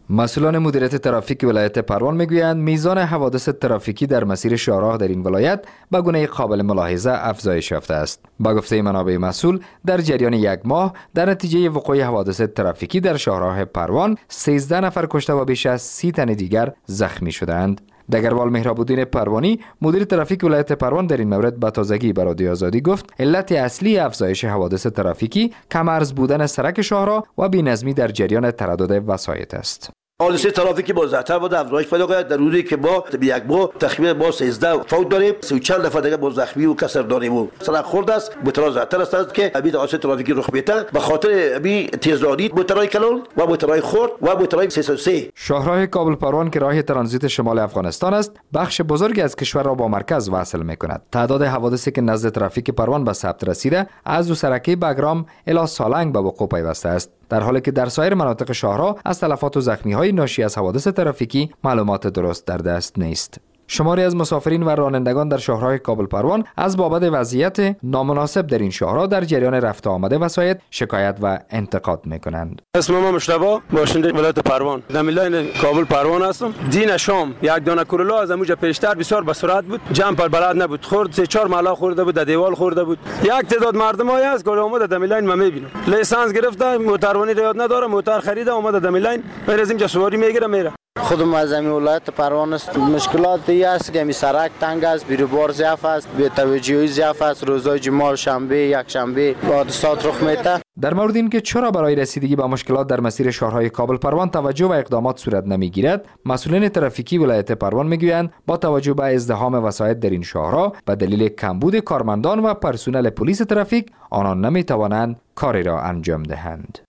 مسئولان مدیریت ترافیک ولایت پروان میگویند میزان حوادث ترافیکی در مسیر شاهراه در این ولایت به گونه قابل ملاحظه افزایش یافته است. با گفته منابع مسئول در جریان یک ماه در نتیجه وقوع حوادث ترافیکی در شاهراه پروان سیزده نفر کشته و بیش از سی تن دیگر زخمی شدند. دگروال مهراب پروانی مدیر ترافیک ولایت پروان در این مورد به تازگی به رادیو آزادی گفت علت اصلی افزایش حوادث ترافیکی کم ارز بودن سرک شاهراه و بی‌نظمی در جریان تردد وسایط است. حادثه ترافیکی با زیادتر بوده افزایش پیدا کرد. در روزی که ما یک ماه تخمین ما سیزده فوت داریم، سی و چند نفر دیگه با زخمی و کسر داریم و سرک خورد است. موترها زیادتر است که همین حادثه ترافیکی رخ میده به خاطر همین تیزرانی موترهای کلان و موترهای خرد و موترهای سیصد و سه. شاهراه کابل پروان که راه ترانزیت شمال افغانستان است، بخش بزرگی از کشور را با مرکز وصل میکند. تعداد حوادثی که نزد ترافیک پروان به ثبت رسیده از دو سرکه بگرام الی سالنگ به وقوع پیوسته است، در حالی که در سایر مناطق شاهراه از تلفات و زخمی‌های ناشی از حوادث ترافیکی معلومات درست در دست نیست. شماری از مسافرین و رانندگان در شاهراه کابل پروان از بابت وضعیت نامناسب در این شاهراه در جریان رفت و آمد وسایط شکایت و انتقاد میکنند. اسم ما مشتبه، باشنده ولایت پروان، در لاین کابل پروان هستم. دین شام یک دانه کرولا از اموجا پیشتر بسیار به سرعت بود، جمع پر بلد نبود، خورد سه چهار مالا خورده بود، در دیوال خورده بود. یک تعداد مردم های است که اومده در لاین ما میبینم لیسانس گرفته، موتوروانی یاد نداره، موتور خریده اومده در لاین، میره اینجا سواری میگیره میره. خودم از همین ولایت پروان است. مشکلات ای است که همی سرک تنگ است، بیروبار ضعف است، بی‌توجهی ضعف است، روزای جمعه، شنبه، یک شنبه حادثات رخ میده. در مورد اینکه چرا برای رسیدگی به مشکلات در مسیر شهرهای کابل پروان توجه و اقدامات صورت نمیگیرد، مسئولین ترافیکی ولایت پروان میگویند با توجه به ازدحام وسایط در این شهرها به دلیل کمبود کارمندان و پرسنل پلیس ترافیک آنان نمیتوانند کاری را انجام دهند.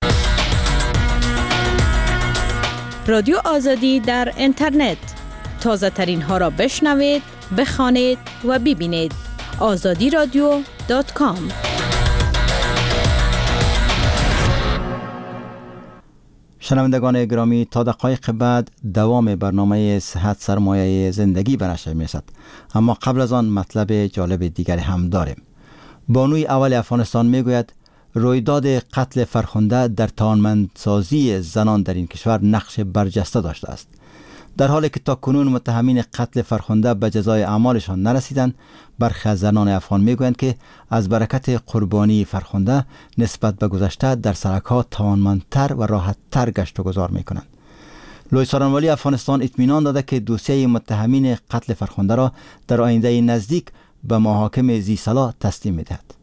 رادیو آزادی در اینترنت، تازه ترین ها را بشنوید، بخوانید و ببینید. آزادی رادیو dot com. شنوندگان گرامی، تا دقایق بعد دوام برنامه صحت سرمایه زندگی به نشر می‌رسد، اما قبل از آن مطلب جالب دیگری هم داریم. بانوی اول افغانستان میگوید رویداد قتل فرخنده در توانمندسازی زنان در این کشور نقش برجسته داشته است. در حالی که تا کنون متهمین قتل فرخنده به جزای اعمالشان نرسیدند، برخی از زنان افغان میگویند که از برکت قربانی فرخنده نسبت به گذشته در سرک‌ها توانمندتر و راحتتر گشت و گذار میکنند. لوی سارنوالی افغانستان اطمینان داده که دوسیه متهمین قتل فرخنده را در آینده نزدیک به محاکم ذی‌صلاح تسلیم میدهد.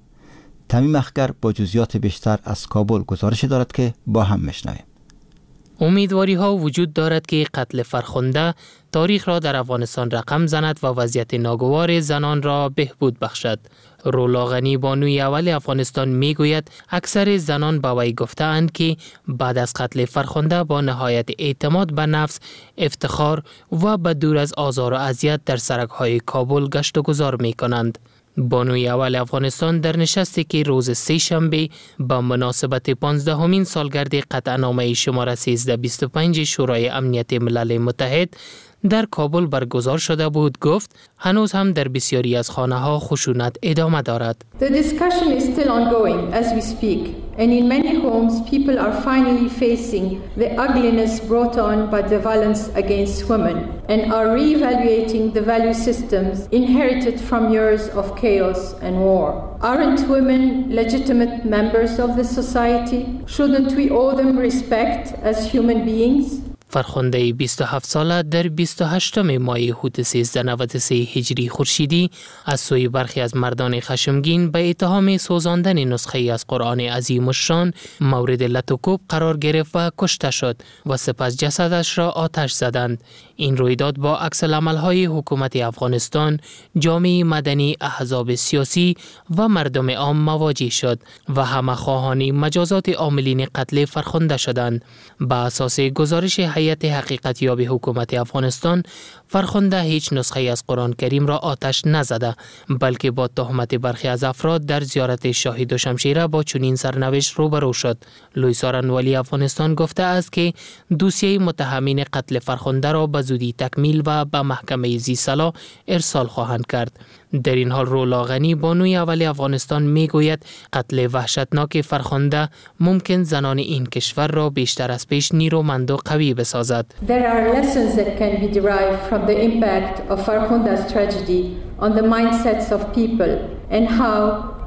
تمیم اخگر با جزئیات بیشتر از کابل گزارشی دارد که با هم میشنویم. امیدواری ها وجود دارد که قتل فرخنده تاریخ را در افغانستان رقم زند و وضعیت ناگوار زنان را بهبود بخشد. رولا غنی بانوی اول افغانستان میگوید اکثر زنان به وی گفته‌اند که بعد از قتل فرخنده با نهایت اعتماد به نفس، افتخار و به دور از آزار و اذیت در سرک‌های کابل گشت و گذار می‌کنند. بانوی اول افغانستان در نشستی که روز سه شنبه با مناسبت پانزدهمین سالگرد قطعنامه شماره سیزده بیست و پنج شورای امنیت ملل متحد در کابل برگزار شده بود گفت هنوز هم در بسیاری از خانه ها خشونت ادامه دارد. The discussion is still ongoing as we speak, and in many homes people are finally facing the ugliness brought on by the violence against women and are reevaluating the value systems inherited from years of chaos and war. Aren't women legitimate members of the society? Shouldn't we owe them respect as human beings? فرخنده بیست و هفت ساله در بیست و هشتم ماه حوت سیزده نود و سه هجری خورشیدی از سوی برخی از مردان خشمگین به اتهام سوزاندن نسخه از قرآن عظیم الشان مورد لت و کوب قرار گرفت و کشته شد و سپس جسدش را آتش زدند. این رویداد با عکس العمل‌های حکومت افغانستان، جامعه مدنی، احزاب سیاسی و مردم عام مواجه شد و همه خواهان مجازات عاملین قتل فرخنده شدند. به اساس گزارش هیئت حقیقت یاب حکومت افغانستان، فرخنده هیچ نسخه از قرآن کریم را آتش نزده، بلکه با تهمت برخی از افراد در زیارت شاهی دوشمشیره با چنین سرنوشت روبرو شد. لوی سارنوالی افغانستان گفته است که دوسیه متهمین قتل فرخنده را به زودی تکمیل و به محکمه ذی‌صلاح ارسال خواهند کرد. در این حال رولا غنی بانوی اول افغانستان میگوید قتل وحشتناک فرخنده ممکن زنان این کشور را بیشتر از پیش نیرومند و قوی بسازد. There are lessons that can be derived from the impact of Farkhunda's tragedy on the mindsets of people and how,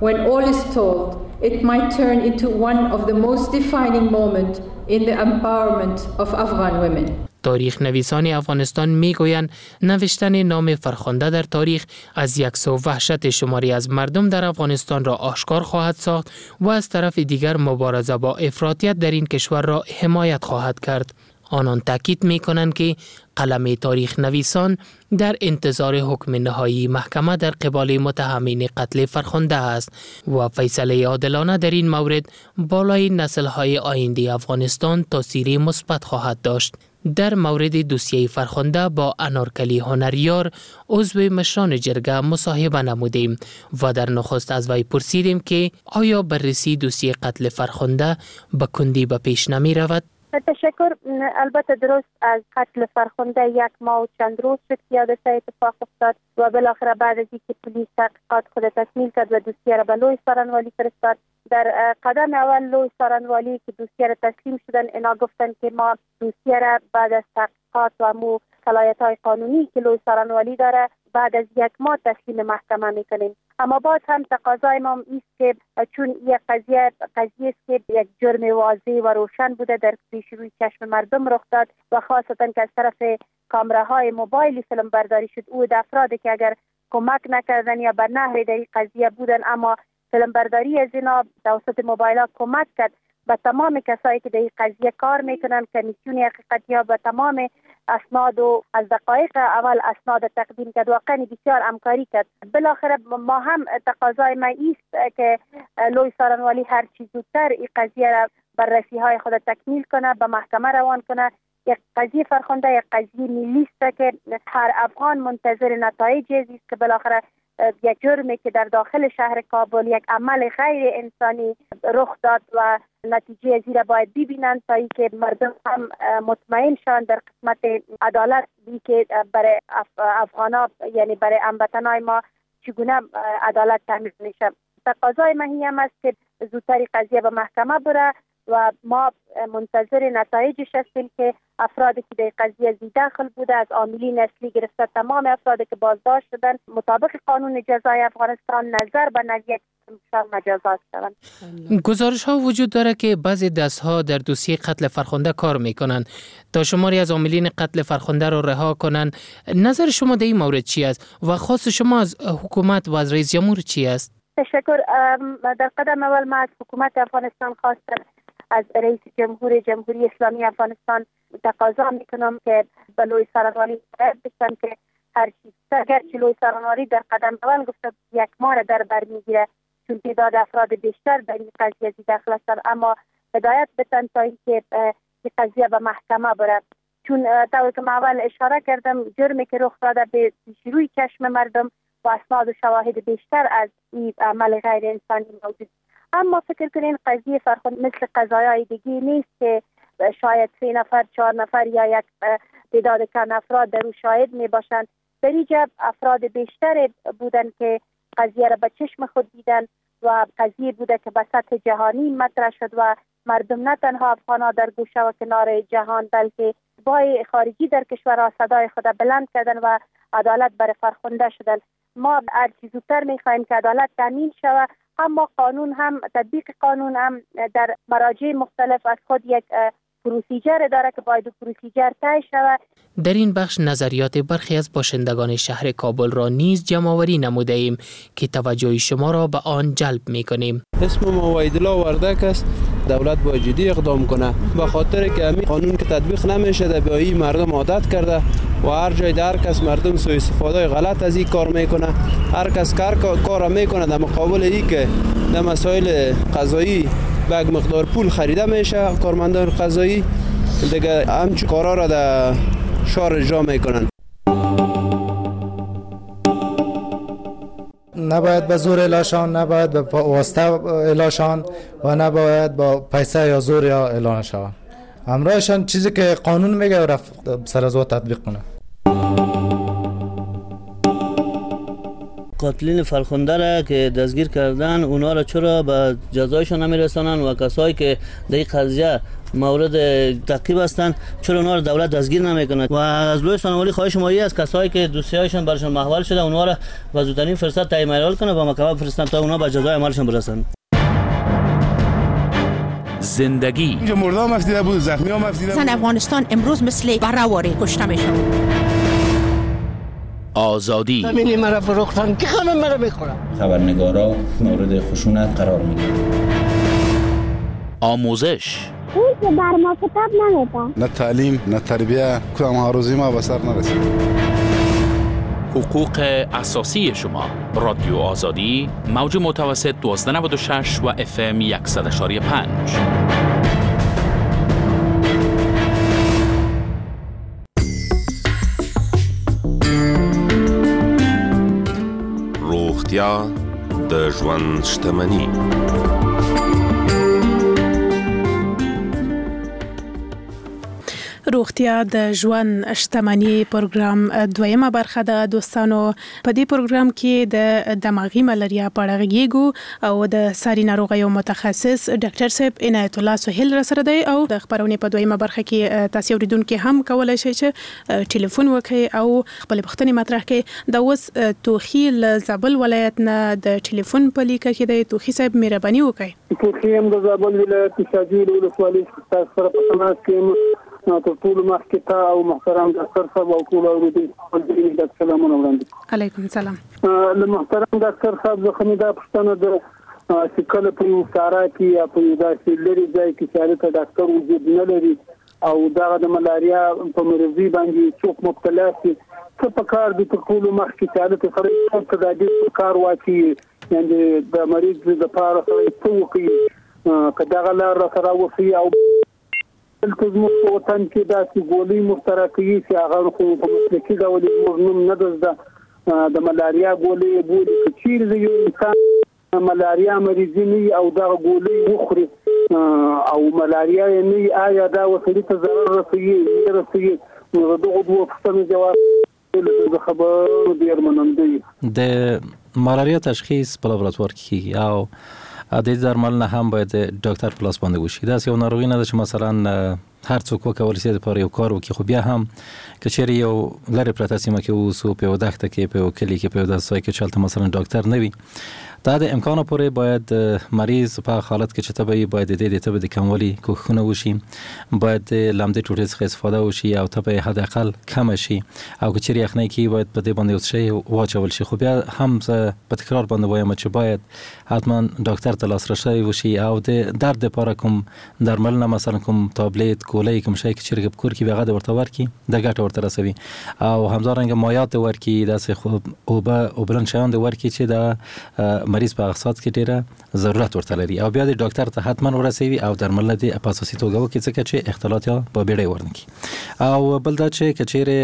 when all is told, it might turn into one of the most defining moments in the empowerment of Afghan women. تاریخ نویسان افغانستان میگویند نوشتن نام فرخنده در تاریخ از یک سو وحشت شماری از مردم در افغانستان را آشکار خواهد ساخت و از طرف دیگر مبارزه با افراطیت در این کشور را حمایت خواهد کرد. آنان تاکید می کنند که قلم تاریخ نویسان در انتظار حکم نهایی محکمه در قبال متهمین قتل فرخنده است و فیصله عادلانه در این مورد بالای نسل‌های آینده افغانستان تاثیر مثبت خواهد داشت. در مورد دوسیه فرخنده با انارکلی هنریار عضو مشران جرگه مصاحبه نمودیم و در نخست از وی پرسیدیم که آیا بررسی دوسیه قتل فرخنده به کندی به پیش نمی رود؟ تشکر. البته درست از قتل فرخنده یک ماه و چند روز شد که حادثه اتفاق افتاد و بالاخره بعد از اینکه پلیس تحقیقات خود تکمیل کرد و دوسیه را به لوی سارنوالی فرستاد، در قدم اول لوی سارنوالی که دوسیه را تسلیم شدن، اینا گفتن که ما دوسیه را بعد از تحقیقات و مو صلاحیت های قانونی که لوی سارنوالی داره بعد از یک ماه تسلیم محکمه میکنیم. اما باز هم تقاضای ما است که چون یک قضیه قضیه است که یک جرم واضح و روشن بوده، در پیش روی چشم مردم رخ داد و خاصتا که از طرف کامراهای موبایلی فیلم برداری شد، او افرادی که اگر کمک نکردن یا به نحوی در این قضیه بودن، اما فیلم برداری از اینا توسط موبایل ها کمک کرد به تمام کسایی که در این قضیه کار میکنن، کمیسیون حقیقتی ها به تمام اسناد و از دقایق اول اسناد تقدیم کرد، واقعا بسیار همکاری کرد. بالاخره ما هم تقاضای ما است که لوی سارنوالی هر چیز زودتر این قضیه را بررسی های خود تکمیل کنه، به محکمه روان کنه. یک قضیه فرخنده یک قضیه ملی است که هر افغان منتظر نتایج است که بالاخره یک جرمی که در داخل شهر کابل یک عمل غیر انسانی رخ داد و نتیجه زیرا باید ببینند تا اینکه مردم هم مطمئن شوند در قسمت عدالت بی که برای افغانا، یعنی برای هموطنای ما چگونه عدالت تامین میشه. تقاضای ما هم است که زودتر قضیه به محکمه بره و ما منتظر نتایجش هستیم که افرادی که در قضیه ذی‌دخل بوده، از عاملین اصلی گرفته تمام افرادی که بازداشت شدن مطابق قانون جزای افغانستان نظر به نوعیت مجازات شوند. گزارش ها وجود داره که بعضی دست ها در دوسیه قتل فرخنده کار میکنند تا شماری از عاملین قتل فرخنده را رها کنند. نظر شما در این مورد چی است و خواست شما از حکومت و از رئیس جمهور چی است؟ تشکر. در قدم اول ما از حکومت افغانستان خواستم، از رئیس جمهور جمهوری اسلامی افغانستان تقاضا میکنم که به لوی سارنوالی باید بشن که هر چیز، اگرچه لوی سارنوالی در قدم اول گفته یک ماه در بر میگیره چون تعداد افراد بیشتر در این قضیه ذی‌دخل هستند، اما هدایت بتن تا اینکه این قضیه به محکمه بره. چون طوری که من اول اشاره کردم، جرمی که رخ داده به روی چشم مردم و اسناد و شواهد بیشتر از این عمل غیر انسانی موجود. اما فکر کنین قضیه فرخنده مثل قضایای دیگه نیست که شاید سه نفر، چهار نفر یا یک تعداد کم افراد در او شاهد می باشند. در اینجا افراد بیشتر بودن که قضیه را به چشم خود دیدن و قضیه بوده که به سطح جهانی مطرح شد و مردم نه تنها افغان‌ها در گوشه و کنار جهان بلکه بای خارجی در کشورها صدای خود بلند کردن و عدالت برای فرخنده شدن. ما هر چیز زودتر می‌خواهیم که عدالت تامین شود، اما قانون هم، تطبیق قانون هم در مراجع مختلف از خود یک procedure داره که باید procedure طی شود. در این بخش نظریات برخی از باشندگان شهر کابل را نیز جمع‌آوری نموده ایم که توجه شما را به آن جلب می‌کنیم. اسم ما وحیدالله وردک است. دولت باید جدی اقدام کنه به خاطر که همین قانون که تطبیق نمیشه به این مردم عادت کرده و هر جای در کس مردم سوء استفاده غلط از این کار میکنه. هر کس کار کار میکنه در مقابل ای که در مسائل قضایی به یک مقدار پول خریده میشه کارمندان قضایی دیگه همچون کارا را در شهر اجرا میکنن. نباید به زور اعلاشان، نباید به واسطه اعلاشان و نباید با پیسه یا زور یا اعلان شوند. همراهشان چیزی که قانون میگه رفت سر از او تطبیق کنه. قاتلین فرخنده را که دستگیر کردن اونا را چرا به جزایشان نمیرسانن و کسایی که در این قضیه مورد تعقیب هستند چرا اونا را دولت دستگیر نمیکنه؟ و از لوی سانوالی خواهش ما از کسایی که دوسیه‌هایشان برشان محول شده اونا را به زودترین فرصت تعیین کنه و محکمه بفرستن تا اونا به جزای عملشان برسند. زندگی اینجا مرده هم افتیده بود، زخمی هم افتیده بود. زن افغانستان امروز مثل براواری کشته میشه. آزادی زمینی مرا فروختن که خانم مرا میخورن. خبرنگارا مورد خشونت قرار میگیرن. آموزش هیچ بر ما کتاب نمیدن، نه تعلیم نه تربیه، کدام آرزوی ما به سر نرسید. حقوق اساسی شما، رادیو آزادی، موج متوسط دوازده نود و شش و اف ام صد و پنج. روغتیا د ژوند شتمني. روغتیا د ژوند شتمني پروګرام دویمه برخه ده. دوستانو، په دې پروګرام کې د دماغي ملاریا په اړه غږیږو او د ساري ناروغیو متخصص ډاکټر صاحب عنایت الله سهیل را سره دی. او د خپرونې په دویمه برخه کې تاسو اوریدونکي هم کولای شئ چې ټلیفون وکړئ او خپلې پوښتنې مطرح کړئ. دا اوس توخي له زابل ولایت نه د ټلیفون په لیکه کې دی. توخي صاحب، مهرباني وکړئ. توخي یم د زابل ولایت شاجوی ولسوالۍ تاسو سره په تماس کې یم. تر ټولو مخکې تا او محترم ډاکټر صاحب او ټولو اورېدونکو ته سلامونه وړاندې کوم. علیکم سلام. له محترم ډاکټر صاحب څخه مې دا پوښتنه ده چې کله په یو سارا کې یا په یو داسې لرې ځای کې چې هلته ډاکټر وجود نه لري او دغه د ملاریا په مرضي باندې څوک مبتلا شي، څه په کار دي تر ټولو مخکې چې هلته سړی څه تدابیر په کار واچوي، یعنې د مریض دپاره سړی څه وکړي، که دغه لار راته راوښیي؟ او دلته زموږ په وطن کې داسې ګولۍ موږ ته راکوي چې هغه خو په مسلکي ډول یې زموږ نوم نه ده زده، د ملاریا ګولۍ یې بولي. که چېرې د یو انسان ملاریا مریضي نه وي او دغه ګولۍ وخوري او ملاریا یې نه وي، آیا دا وسړي ته ضرر رسوي نه رسوي؟ نو د دغو دوو پوښتنو جواب له ده څخه به ډېر منندوی. د ملاریا تشخیص په لابراتوار کې کېږي او د دې درملنه هم باید د ډاکټر په لاس باندې وشي. داسې یو ناروغي نه ده چې مثلا هر څوک وکولی شي دپاره یو کار وکړي، خو بیا هم که چېرې یو لرې پرته سیمه کې واوسو، په یوه دښته کې، په یو کلي کې، په یو داسې ځای کې چې هلته مثلا ډاکټر نه وي، دا د امکانه پورې باید مریض په هغه حالت کې چې تبه وي باید د دې د تبې د کموالي کوښښونه وشي، باید د لمدې ټوټې څخه استفاده وشي او تبه یې حد اقل کمه شي، او که چېرې یخنۍ کې باید په دې باندې یو څه شی واچول شي. خو بیا هم زه په تکرار باندې وایم چې باید حتما ډاکټر ته لاسرسی وشي او د درد لپاره کوم درملنه، مثلا کوم تابلیت، ګولۍ، کوم شی که چېرې په کور کې وي هغه د ورته ورکړي، د ګټه ورته رسوي. او همدارنګه مایعات د ورکړي، داسې اوبه اوبلن شیان د ورکړي چې دا مریض په هغه ساعت کې ډېره ضرورت ورته لري، او بیا د ډاکټر ته حتما ورسوي او درملنه دې په اساسي توګه وکړي، ځکه چې اختلاط یا په بیړۍ ورنکړي. او بل دا چې که چېرې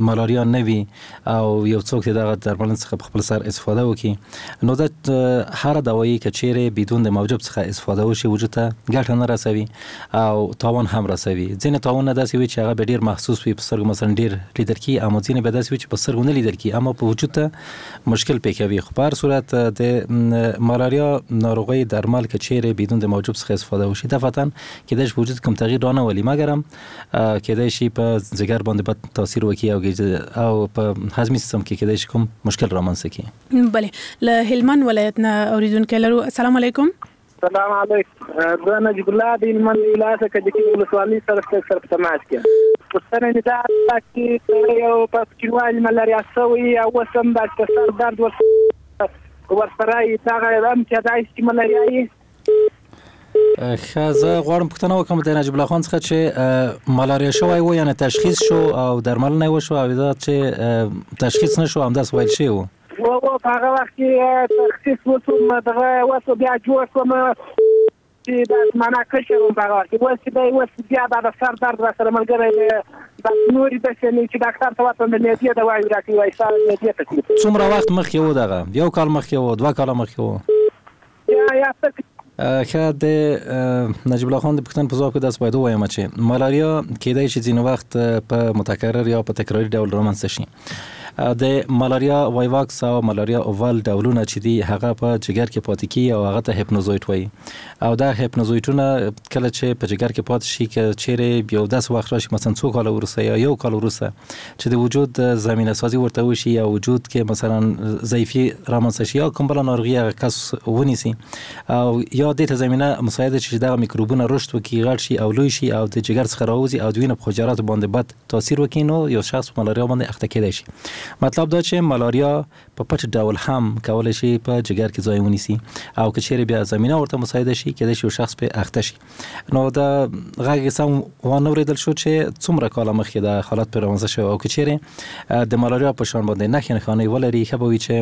ملاریا نه وي او یو څوک د دغه درملنې څخه په خپل سر استفاده وکړي، نو دا هره دوایي که چېرې بدون د موجب څخه استفاده وشي وجود ته ګټه نه رسوي او تاوان هم رسوي. ځینې تاوانونه داسې وي چې هغه به ډېر محسوس وي، په سترګو مثلا ډېر لیدل کېږي، اما ځینې به داسې وي چې په سترګو نه لیدل کېږي اما په وجود ته مشکل پېښوي. خو په هر صورت د ملاریا ناروغۍ درمل که چیرې بدون د موجب څخه استفاده وشي دفعتا کېدای شي وجود کوم تغییر رانه ولي، مګرم کېدای شي په ځیګر باندې بد تاثیر وکړي او او په هضمي سیستم کې کېدای شي کوم مشکل رامنځته کړي. بله، له هلمند ولایت نه اوریدونکی لرو. السلام علیکم. سلام علیکم، زه نجیب الله د هلمند ولایت کجکي ولسوالۍ سره سره په تماس کې یم. پوښتنه مې دا ده چې یو په کوچنیوالي ملاریا سوی او اوس هم داسې په سر درد ورسره ورسره یې دغه هم کېدای شي چې ملاریا یې؟ ښه، زه غواړم پوښتنه وکړم د نجیب الله خان څخه چې ملاریا شوی و، یعنې تشخیص شو او درملنه یې وشوه، او دا چې تشخیص نه شو همداسې ویل شوي وو؟ و په هغه وخت کې تشخیص وشو، دغه وشو، بیا جوړ شوم چې دا معنا کشر وم په هغه وخت کې. اوس چې دی اوس بیا دا د سر درد راسره ملګری دی، داسې نورې داسې نه چې ډاکټر ته ورتلم د معدې دواوې راکوي، وایي ستا د معدې تکلیف. څومره وخت مخکې و دغه؟ یو کال مخکې و، دوه کاله مخکې و؟ یا یا څه. ښه، د نجیب الله خان د پوښتنې په ځواب کې داسې باید ووایم چې ملاریا کېدای شي ځینې وخت په متکرر یا په تکراري ډول رامنځته شي. د ملاریا وایواکس او ملاریا اول ډولونه چې دي هغه په جګر کې پاتې کیږي او هغه ته هپنوزویټ وایي، او دا هپنوزویټونه کله چې په جګر کې پاتې شي، که چیرې یو داسې وخت راشي مثلا څو کاله وروسته یا یو کال وروسته چې د وجود زمینه سازي ورته وشي یا وجود کې مثلا ضعیفي رامنځته شي یا کوم بله ناروغي هغه کس ونیسي او یا دې ته زمینه مساعده شي چې دغه میکروبونه رشد وکړي، غټ شي او لوی شي او د جګر څخه راوځي او د وینې په حجراتو باندې بد تاثیر وکړي، نو یو شخص په ملاریا باندې اخته کېدای شي. مطلب دا چې ملاریا په پټ ډول هم کولی شي په جګر کې ځای ونیسي او که چیرې بیا زمینه ورته مساعده شي کېدای شي یو شخص پرې اخته شي. نو دا غږ یې سم وانه ورېدل شو چې څومره کاله مخکې دا حالت پرې رامنځته شوی، او که چیرې د ملاریا په شان باندې نښې نښانې ولري ښه به وي چې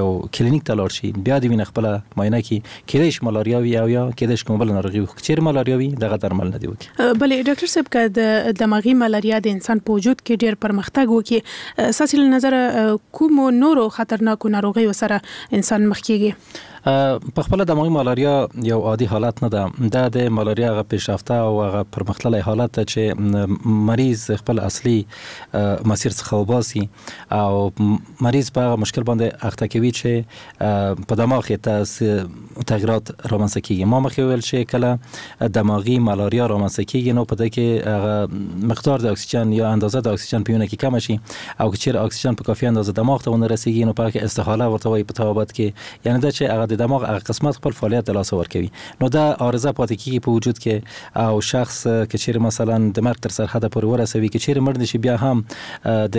یو کلینیک ته لاړ شي، بیا د وینې خپله معاینه کړي، کېدای شي ملاریا وي او یا کېدای شي کومه بله ناروغي وي، خو که چیرې ملاریا وي دغه درمل نه دی وکړي. بله ډاکټر صاحب، که د دماغي ملاریا د انسان په وجود کې ډېر پرمختګ وکړي، ستاسې له نظره کومو نورو خطرناکو ناروغیو سره انسان مخ کیږي؟ په خپله دماغي مالاریا یو عادي حالت نه ده. دا د مالاریا هغه پیشرفته او هغه پرمختللی حالت ده چې مریض خپل اصلي مسیر څخه وباسي او مریض په هغه مشکل باندې اخته کوي چې په دماغ کې تغیرات رامنځته کیږي. ما مخکې وویل چې کله دماغي مالاریا رامنځته کیږي نو په دې کې هغه مقدار د اکسیجن یا اندازه د اکسیجن په وینه کې کمه شي او که چیرې اکسیجن په کافي اندازه دماغ ته ونه رسیږي نو په هغه کې استحاله ورته وایي په طبابت کې، یعنی دا چې هغه د دماغ هغه قسمت خپل فعالیت د لاسه ورکوي. نو دا عارضه پاتې کیږي په وجود کې او شخص که چیرې مثلا د مرګ تر سرحده پورې ورسوي، که چیرې مړ نشي بیا هم د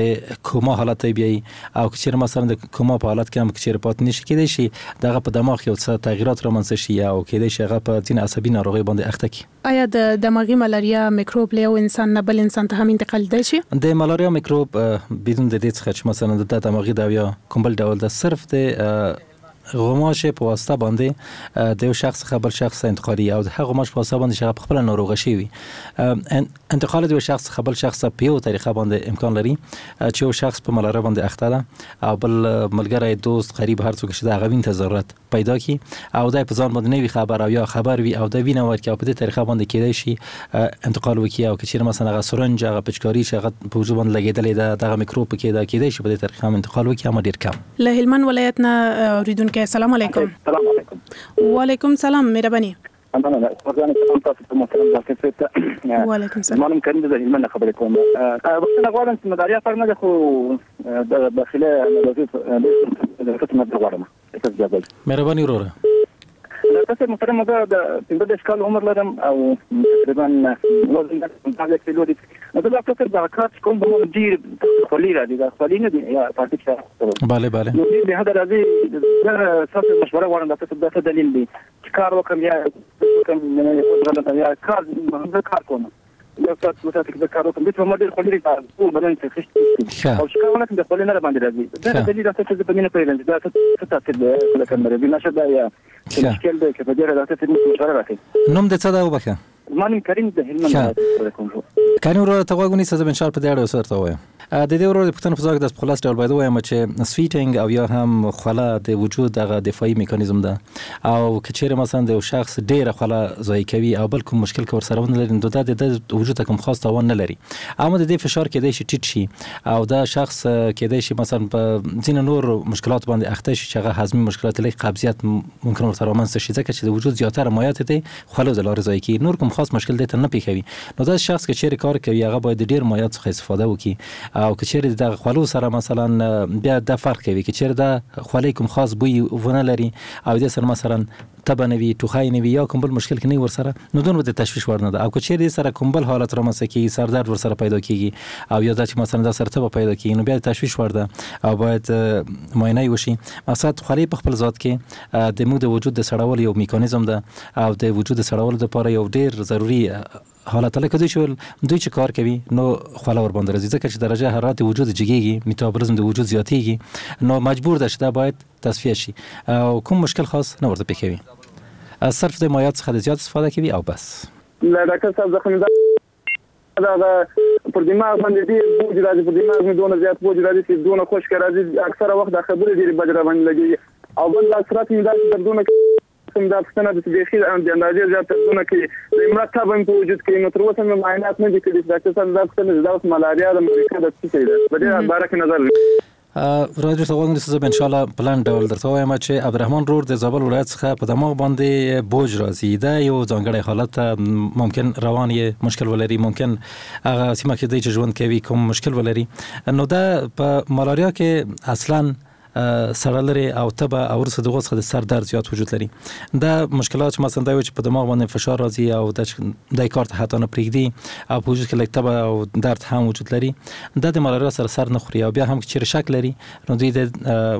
کوما حالت ته بیایي او که چیرې مثلا د کوما په حالت کې هم که چیرې پاتې نشي کیدای شي دغه په دماغ کې یو څه تغیرات رامنځته شي او کیدای شي هغه په ځینې عصبي ناروغۍ باندې اخته کړي. آیا د دماغي ملاریا میکروب له یو انسان نه بل انسان ته هم انتقالېدای شي؟ د ملاریا میکروب بدون د دې څخه چې مثلا د دماغي ده یا کوم بل ډول ده، صرف د غوماشې په واسطه باندې د یو شخص څخه بل شخص ته انتقالي او د هغه غوماش په واسطه باندې چې هغه په خپله ناروغه شوي وي. انتقال د یو شخص څخه بل شخص ته په یو طریقه باندې امکان لري چې یو شخص په ملاریا باندې اخته ده او بل ملګری، دوست، قریب، هر څوک چې د هغه وینې ته ضرورت پیدا کړي او دی په ځان باندې نه وي خبر او یا خبر وي او د وینه ورکړي او په دې طریقه باندې کیدای شي انتقال وکړي. او که چیرې مثلا هغه سرنج، هغه پچکاري چې هغه په وجود باندې لګېدلې ده، دغه میکروب پکې ده، کیدای شي په دې طریقه هم انتقال وکړي، اما ډېر کم. له هلمند ولایت نه اورېدونکی، السلام علیکم. السلام علیکم. وعلیکم سلام، مهرباني. مننه ځان سلام تاسو ته محترم ډاکټر صاحب ته. وعلیکم سلام. زما نوم کریم دی، د هلمند نه خبرې کوم. بخښنه غواړم چې ملاریا فرق نه ده، خو د داخله ناروغي د خدمت غواړم. مهرباني وروره. ډاکټر صاحب محترم، زه د پنځه دېرش کال عمر لرم او تقریبا وزن پنځه کیلو دی. نو زه ډاکټر صاحب دغه کار چې کوم به ډېر خولې راځي، دا خولې نه دي یا پاتې چې بله بله، نو ډېر بې حده راځي. زه ستاسو مشوره غواړم ډاکټر صاحب، دا څه دلیل دی چې کار وکړم یا وکړم یا کار زه کار کوم یو ساعت دوه ساعته کې زه کار وکړم، دې ما ډېر خولې راځي، ټول بدن ته خشت او چې کار ونه کړم د خولې نه راباندې راځي. دا دلیل ډاکټر صاحب زه په دې نه پوهېږم چې دا څه تاثیر دی لکه مرضي نشه ده یا مشکل دی، که په دې اړه ډاکټر صاحب مشوره راکړئ. نوم دې څه ده وبخښه؟ زما نوم کریم د هلمند نه کوم. کریم وروره ته غوږ ونیسه، زه به انشاءالله په دې اړه یو څه درته ووایم. د دې ورور د پوښتنې په ځواب کې داسې په خلاص ډول باید ووایم چې sweating او یا هم خوله د وجود دغه دفاعي میکانیزم ده او که چیرې مثلا د یو شخص ډېره خوله ضایع کوي او بل کوم مشکل که ورسره ونه لري نو دا د ده وجود ته کوم خاص تاوان نه لري، اما د دې فشار کیدای شي ټیټ شي او دا شخص کیدای شي مثلا په ځینو نور مشکلات باندې اخته شي چې هغه هضمي مشکلات لکه قبضیت ممکن ورته رامنځته شي، ځکه چې د وجود زیاتره مایعات دی خولو د لارې ضایع کېږي، نور کوم خاص مشکل دی ته نه پېښوي. نو دا شخص که چیرې کار کوي هغه باید د ډېر مایعات څخه استفاده وکړي او که چیرې دغه خولو سره مثلا بیا دا فرق کوي، که چیرې دا خولې کوم خاص بوی ونه لري او دې سره مثلا تبه نه وي، ټوخی نه وي یا کوم بل مشکل کې نه وي ورسره، نو دونه د تشویش وړ نه ده. او که چیرې دې سره کوم بل حالت رامنځته کېږي، سردرد ورسره پیدا کېږي او یا دا چې مثلا دا سره تبه پیدا کېږي، نو بیا د تشویش وړ ده او باید معاینه یې وشي. مقصد خولې په خپل ذات کې د موږ د وجود د سړولو یو میکانیزم ده او د وجود د سړولو لپاره یو ډېر ضروري حالت لکه دوی چې دوی چې کار کوي نو خوله ورباندې راځي، ځکه چې درجه حرارت د وجود جګېږي، میتابولیزم د وجود زیاتېږي، نو مجبور ده چې دا باید تصفیه شي او کوم مشکل خاص نه ورته پېښوي. صرف د مایعات څخه د زیات استفاده کوي او بس. له ډاکټر صاحب زه خو دغه پر دماغ باندې ډېر بوج راځي، پر دماغ مې دونه زیات بوج راځي چې دونه خشکه راځي، اکثره وخت دا خبرې ډېرې بدې راباندې لګېږي او بل لاس رات مې داسې دردونه کوم، دا پوښتنه ده چې بیخي د اندازې زیات دردونه کوي، د امرا تبه مې په وجود کې، نو تر اوسه مې معاینات نه دي کړي. ډاکټر صاحب دا پوښتنه ده، دا اوس ملاریا ده، مریکا ده، څه شی ده؟ په دې باره کې نظر راځي ته غوږ ونیسه. زه به انشاءالله په لنډ ډول درته ووایم چې عبدالرحمن رور د زابل ولایت څخه په دماغ باندې بوج راځي، دا یو ځانګړی حالت ده، ممکن روان یې مشکل ولري، ممکن هغه سیمه کې دی چې ژوند کوي کوم مشکل ولري. نو دا په ملاریا کې اصلا سړه لري او تبه او وروسته دغو څخه د سر درد زیات وجود لري. دا مشکلات چې مثلا دا وي چې په دماغ باندې فشار راځي او دا د کار ته حتی نه پرېږدي او په وجود کې لږ تبه او درد هم وجود لري، دا د ملاریا سره سر نه خوري او بیا هم که چیرې شک لري نو دوی د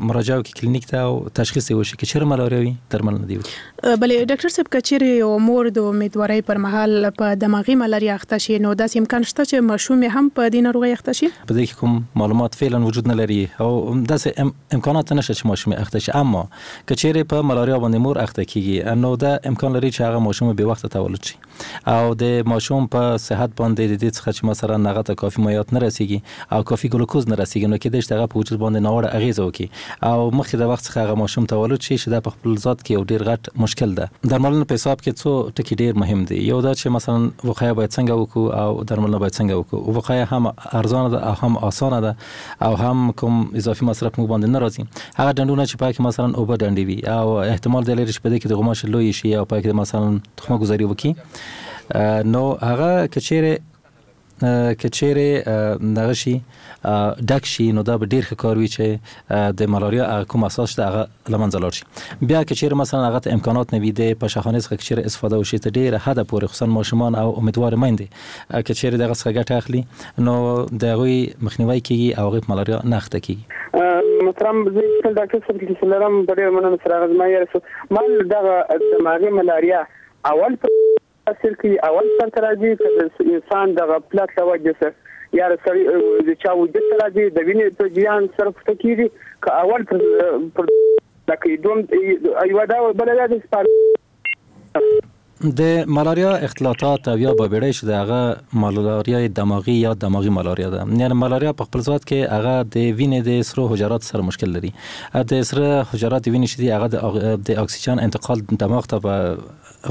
مراجعه وکړي کلینیک ته او تشخیص یې وشي، که چیرې ملاریا وي درملنه دې وکړي. بلې ډاکټر صاحب، که چیرې یو مور د امیدوارۍ پر مهال په دماغي ملاریا اخته شي نو داسې امکان شته چې ماشوم یې هم په دې ناروغۍ اخته شي؟ په دې کې کوم معلومات فعلا وجود نه لري او داسې امکان امکانات نشته چې ماشوم اخته شي. اما که چیرې په ملاریا باندې مور اخته کیږي نو دا امکان لري چې هغه ماشوم بې وخته تولد شي او د ماشوم په صحت باندې د دې څخه چې مثلا هغه ته کافي مایعات نه رسیږي او کافي ګلوکوز نه رسیږي نو کېدای شي هغه په وجود باندې ناوړه اغیزه وکړي او مخکې د وخت څخه هغه ماشوم تولد شي چې دا په خپل ذات کې یو ډیر غټ مشکل ده. درملنه په حساب کې څو ټکي ډیر مهم دي. یو دا چې مثلا وقایه باید څنګه وکړو او درملنه باید څنګه وکړو. وقایه هم ارزانه ده او هم اسانه ده او هم کوم اضافي مصرف موږ باندې نه راځي. هغه ډنډونه چې پاکې مثلا اوبه ډنډې وي او احتمال دی لري چې په دې کې د غوماشې لوی شي او پاکې مثلا تخمه ګذاري وکړي نو هغه که چیرې که چیرې دغه شي ډک شي نو دا به ډیر ښه کار وي چې د ملاریا هغه کوم اساس شته هغه له منځه لاړ شي. بیا که چیرې مثلا هغه ته امکانات نه وي د پشهخانې څخه که چیرې استفاده وشي تر ډیره حده پورې خصوصا ماشومان او امیدوار میندې که چیرې دغه څخه ګټه اخلي نو د هغوی مخنیوی کیږي او هغوی په ملاریا نه اخته کیږي. محترم زه ډاکټر صاحب چې لرم په ډېره مننه سره هغه زما یې رسو مال دغه دماغي ملاریا اول تاثیر کوي، اول سر ته راځي که د انسان د غفلت له وجې سره یا د سړي د چا وجود ته راځي د وینې په جریان سره پورته کېږي که اول پر پر لکه دوم یوه دا بله دا د د ملاریا اختلاطات او یا بابیړۍ چې د هغه ملاریا دماغي یا دماغي ملاریا ده. یعنی ملاریا په خپل ذات کې هغه د وینې د سرو حجرات سره مشکل لري. د سره حجرات د وینې چې دي هغه د اکسیجن انتقال دماغ ته په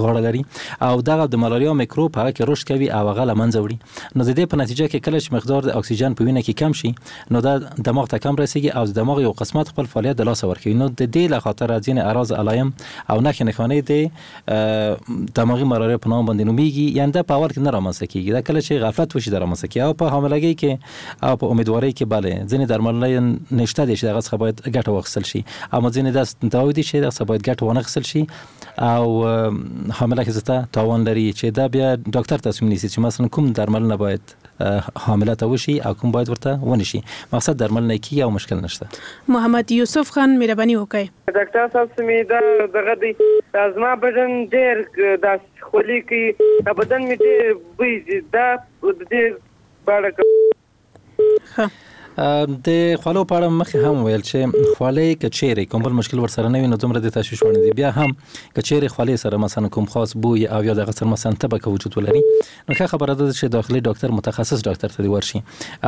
غاړه لري او دغه د ملاریا میکروب هغه کې رشد کوي او هغه له منځه وړي. نو د دې په نتیجه کې کله چې مقدار د اکسیجن په وینه کې کم شي نو دا دماغ ته کم رسیږي او د دماغ یو قسمت خپل فعالیت د لاسه ورکوي. نو د دې له خاطره ځینې اعراض علایم او نښې نښانې د دماغي ملاریا په نام باندې نومیږي. یعنی دا په اول کې نه رامنځته کیږي، دا کله چې غفلت وشي دا رامنځته کیږي. او په حاملګۍ کې او په امیدوارۍ کې بله ځینې درملنې نشته دي چې دغه څخه باید ګټه واخیستل شي، اما ځینې داسې دواوې دي چې دغه څخه باید ګټه ونه خیستل شي او حامله ښځې ته تاوان لري چې دا بیا ډاکټر تصمیم نیسي چې مثلا کوم درملنه باید حامله ته وشي او کوم باید ورته ونه شي. مقصد درملنه کیږي او مشکل نشته. محمد یوسف خان مهرباني وکړئ. ډاکټر صاحب سمې دا دغه دی دا زما بدن ډېر داسې خولې کوي، دا بدن مې ډېر بوی ځي، دا د دې په اړه. ښه د خولو په اړه مخکې هم ویل چې خولې که چیرې کوم بل مشکل ورسره نه وي نو دومره د تشویش وړ نه دي. بیا هم که چیرې خولې سره مثلا کوم خاص بوی او یا دغه سره مثلا تبه که وجود ولري نو ښه خبره ده چې داخلي ډاکټر متخصص ډاکټر ته دې ورشي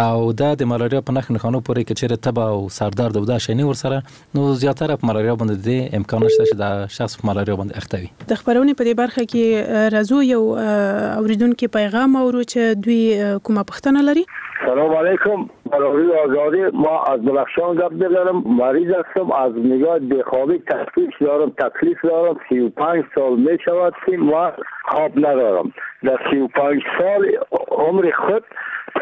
او دا د ملاریا په نښو نښانو پورې که چیرې تبه او سردرد او دا شی نه ورسره نو زیاتره په ملاریا باندې د دې امکان نشته چې دا شخص په ملاریا باندې اخته وي. د خپرونې په دې برخه کې راځو یو اوریدونکي پیغام اورو چې دوی کومه پوښتنه لري. سلام علیکم، برای آزادی ما از بدخشان گپ میزنم. مریض هستم، از نگاه بخوابی تکلیف دارم تکلیف دارم سی و پنج سال می شود که ما خواب ندارم. در سی و پنج سال عمر خود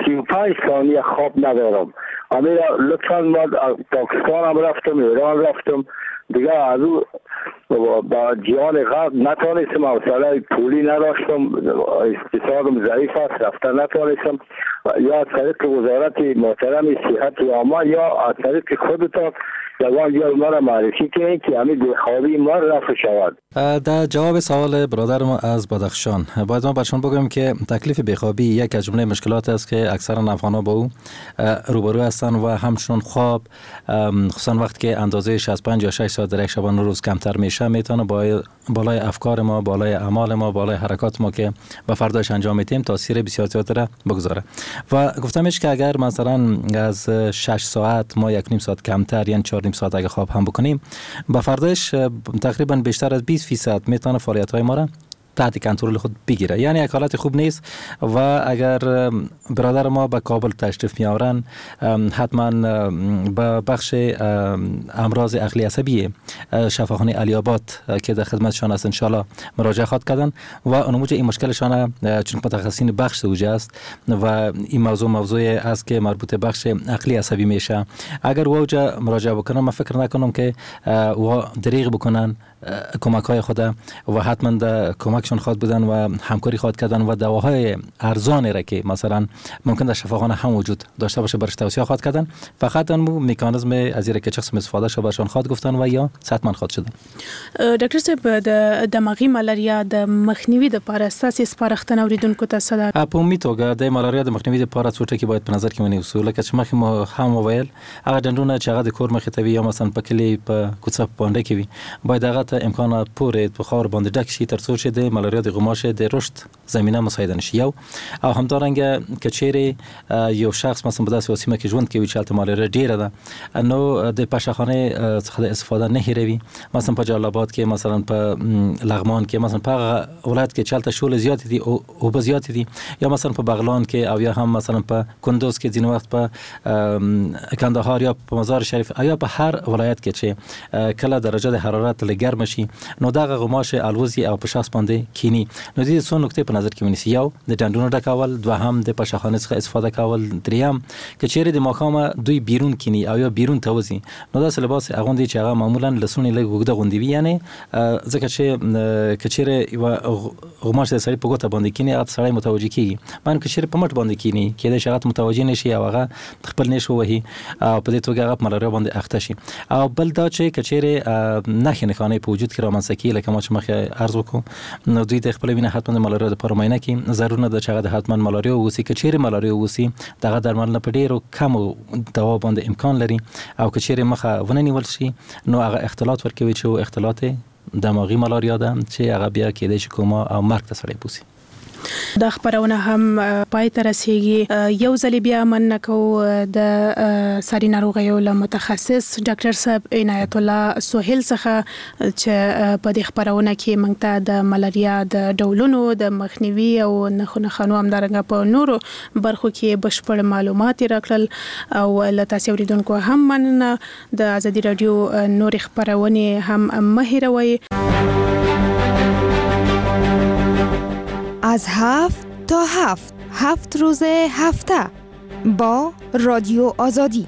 سی و پنج ثانیه خواب ندارم. امیر لطفاً ما از پاکستان هم رفتم، ایران رفتم، دیگه از او با جهان غرب نتانستم، حوصله پولی نداشتم، اقتصادم ضعیف است، رفتن نتانستم. یا از طریق وزارت محترم صحت عامه یا از طریق خودتان یگان جای ما را معرفی کنید که همین بیخوابی ما رفع شود. در جواب سوال برادر ما از بدخشان باید ما برشان بگویم که تکلیف بیخوابی یک از جمله مشکلات است که اکثرا افغان‌ها با او روبرو هستند و همچنان خواب خصوصا وقتی که اندازه شصت و پنج یا شش ساعت در یک شبانه روز کمتر میشه میتونه بالای افکار ما، بالای اعمال ما، بالای حرکات ما که به فرداش انجام میدیم تاثیر بسیار زیاد را بگذاره. و گفتمش که اگر مثلا از شش ساعت ما یک نیم ساعت کمتر یعنی چهار نیم ساعت اگه خواب هم بکنیم به فرداش تقریبا بیشتر از بیست فیصد میتونه فعالیت های ما را تحت کنترل خود بگیره. یعنی یک حالت خوب نیست و اگر برادر ما به کابل تشریف میآورن حتما به بخش امراض عقلی عصبی شفاخانه علی آباد که در خدمتشان است انشالله مراجعه خواهد کردن و اونموجه این مشکلشان چون متخصصین بخش اوجه است و این موضوع موضوع است که مربوط بخش عقلی عصبی میشه. اگر اوجه مراجعه بکنن من فکر نکنم که او دریغ بکنن کمک های خود و حتما در کمک کمکشون خواهد بودن و همکاری خواهد کردن و دواهای ارزان را که مثلا ممکن در شفاخانه هم وجود داشته باشه برش توصیه خواهد کردن. فقط ان مکانیزم از این که چه قسم استفاده شه برشان خواهد گفتن و یا صحتمند خواهد شدن. ډاکټر صاحب، د دماغي ملاریا د مخنیوي لپاره ستاسو سپارښتنه اوریدونکو ته څه ده؟ په عمومي توګه د ملاریا د مخنیوي لپاره څو ټکي باید په نظر کې ونیسو. لکه چې مخکې مو هم وویل، هغه ډنډونه چې هغه د کور مخې ته وي یا مثلا په کلي په کوڅه په پانډه کې وي، باید هغه ته امکان پورې په خاور باندې ډک شي ترڅو چې د ملاریا د غوماشې د رشد زمینه مساعده نشي. یو او همدارنګه که چیرې یو شخص مثلا په داسې سیمه کې ژوند کوي چې هلته ملاریا ډیره ده، نو د پشهخانې څخه د استفاده نه هېروي. مثلا په جلال آباد کې، مثلا په لغمان کې، مثلا په هغه ولایت کې چې هلته شولې زیاتې دي، اوبه زیاتې دي، یا مثلا په بغلان کې او یا هم مثلا په کندوز کې، ځینې وخت په کندهار یا په مزار شریف او یا په هر ولایت کې چې کله درجه د حرارت لږ ګرمه شي، نو دغه غوماشې الوزي او په شخص باندې کینی. نو دې څو نکتې په نظر کې ونیسي: یو د ډنډونو ډکول، دوهم د پشهخانې څخه استفاده کول، دریم که چیرې د ماښامه دوی بیرون کینی او یا بیرون ته وځي، نو داسې لباس اغوندي چې هغه معمولا لسونې لږ اوږده غوندې وي، یعنې ځکه چې که چیرې یوه غوماشه د سړي په ګوته باندې کینی، هغه سړی متوجه کیږي. مګر که چیرې په مټ باندې کینی، کیدای شي هغه ته متوجه نه شي او هغه خپل نیش ووهي او په دې توګه هغه په ملاریا باندې اخته شي. او بل دا چې که چیرې نښې نښانې په وجود کې رامنځته کیږي، لکه ما چې مخکې عرض وکړو، نو دوی د خپل وینه حتما د ملاریا لپاره معاینه کړي. ضرور نه ده چې هغه د حتما ملاریا واوسي. که چیرې ملاریا واوسي، دغه درملنه په ډیرو کمو دوا باندې امکان لري، او که چیرې مخه ونه نیول شي، نو هغه اختلاط ورکوي چې اختلاط دماغي ملاریا ده چې هغه بیا کیدای شي کوما او مرګ ته سړی بوسي. دا خپرونه هم پای ته رسیږي. یو ځل بیا مننه کوو د ساري ناروغیو له متخصص ډاکټر صاحب عنایت الله سهیل څخه چې په دې خپرونه کې موږ ته د ملاریا د ډولونو د مخنیوي او نښو نښانو همدارنګه په نورو برخو کې بشپړ معلومات یې راکړل. او له تاسې اورېدونکو هم مننه. د ازادي راډیو نورې خپرونې هم مه هېروئ. از هفت تا هفت، هفت روز هفته با رادیو آزادی.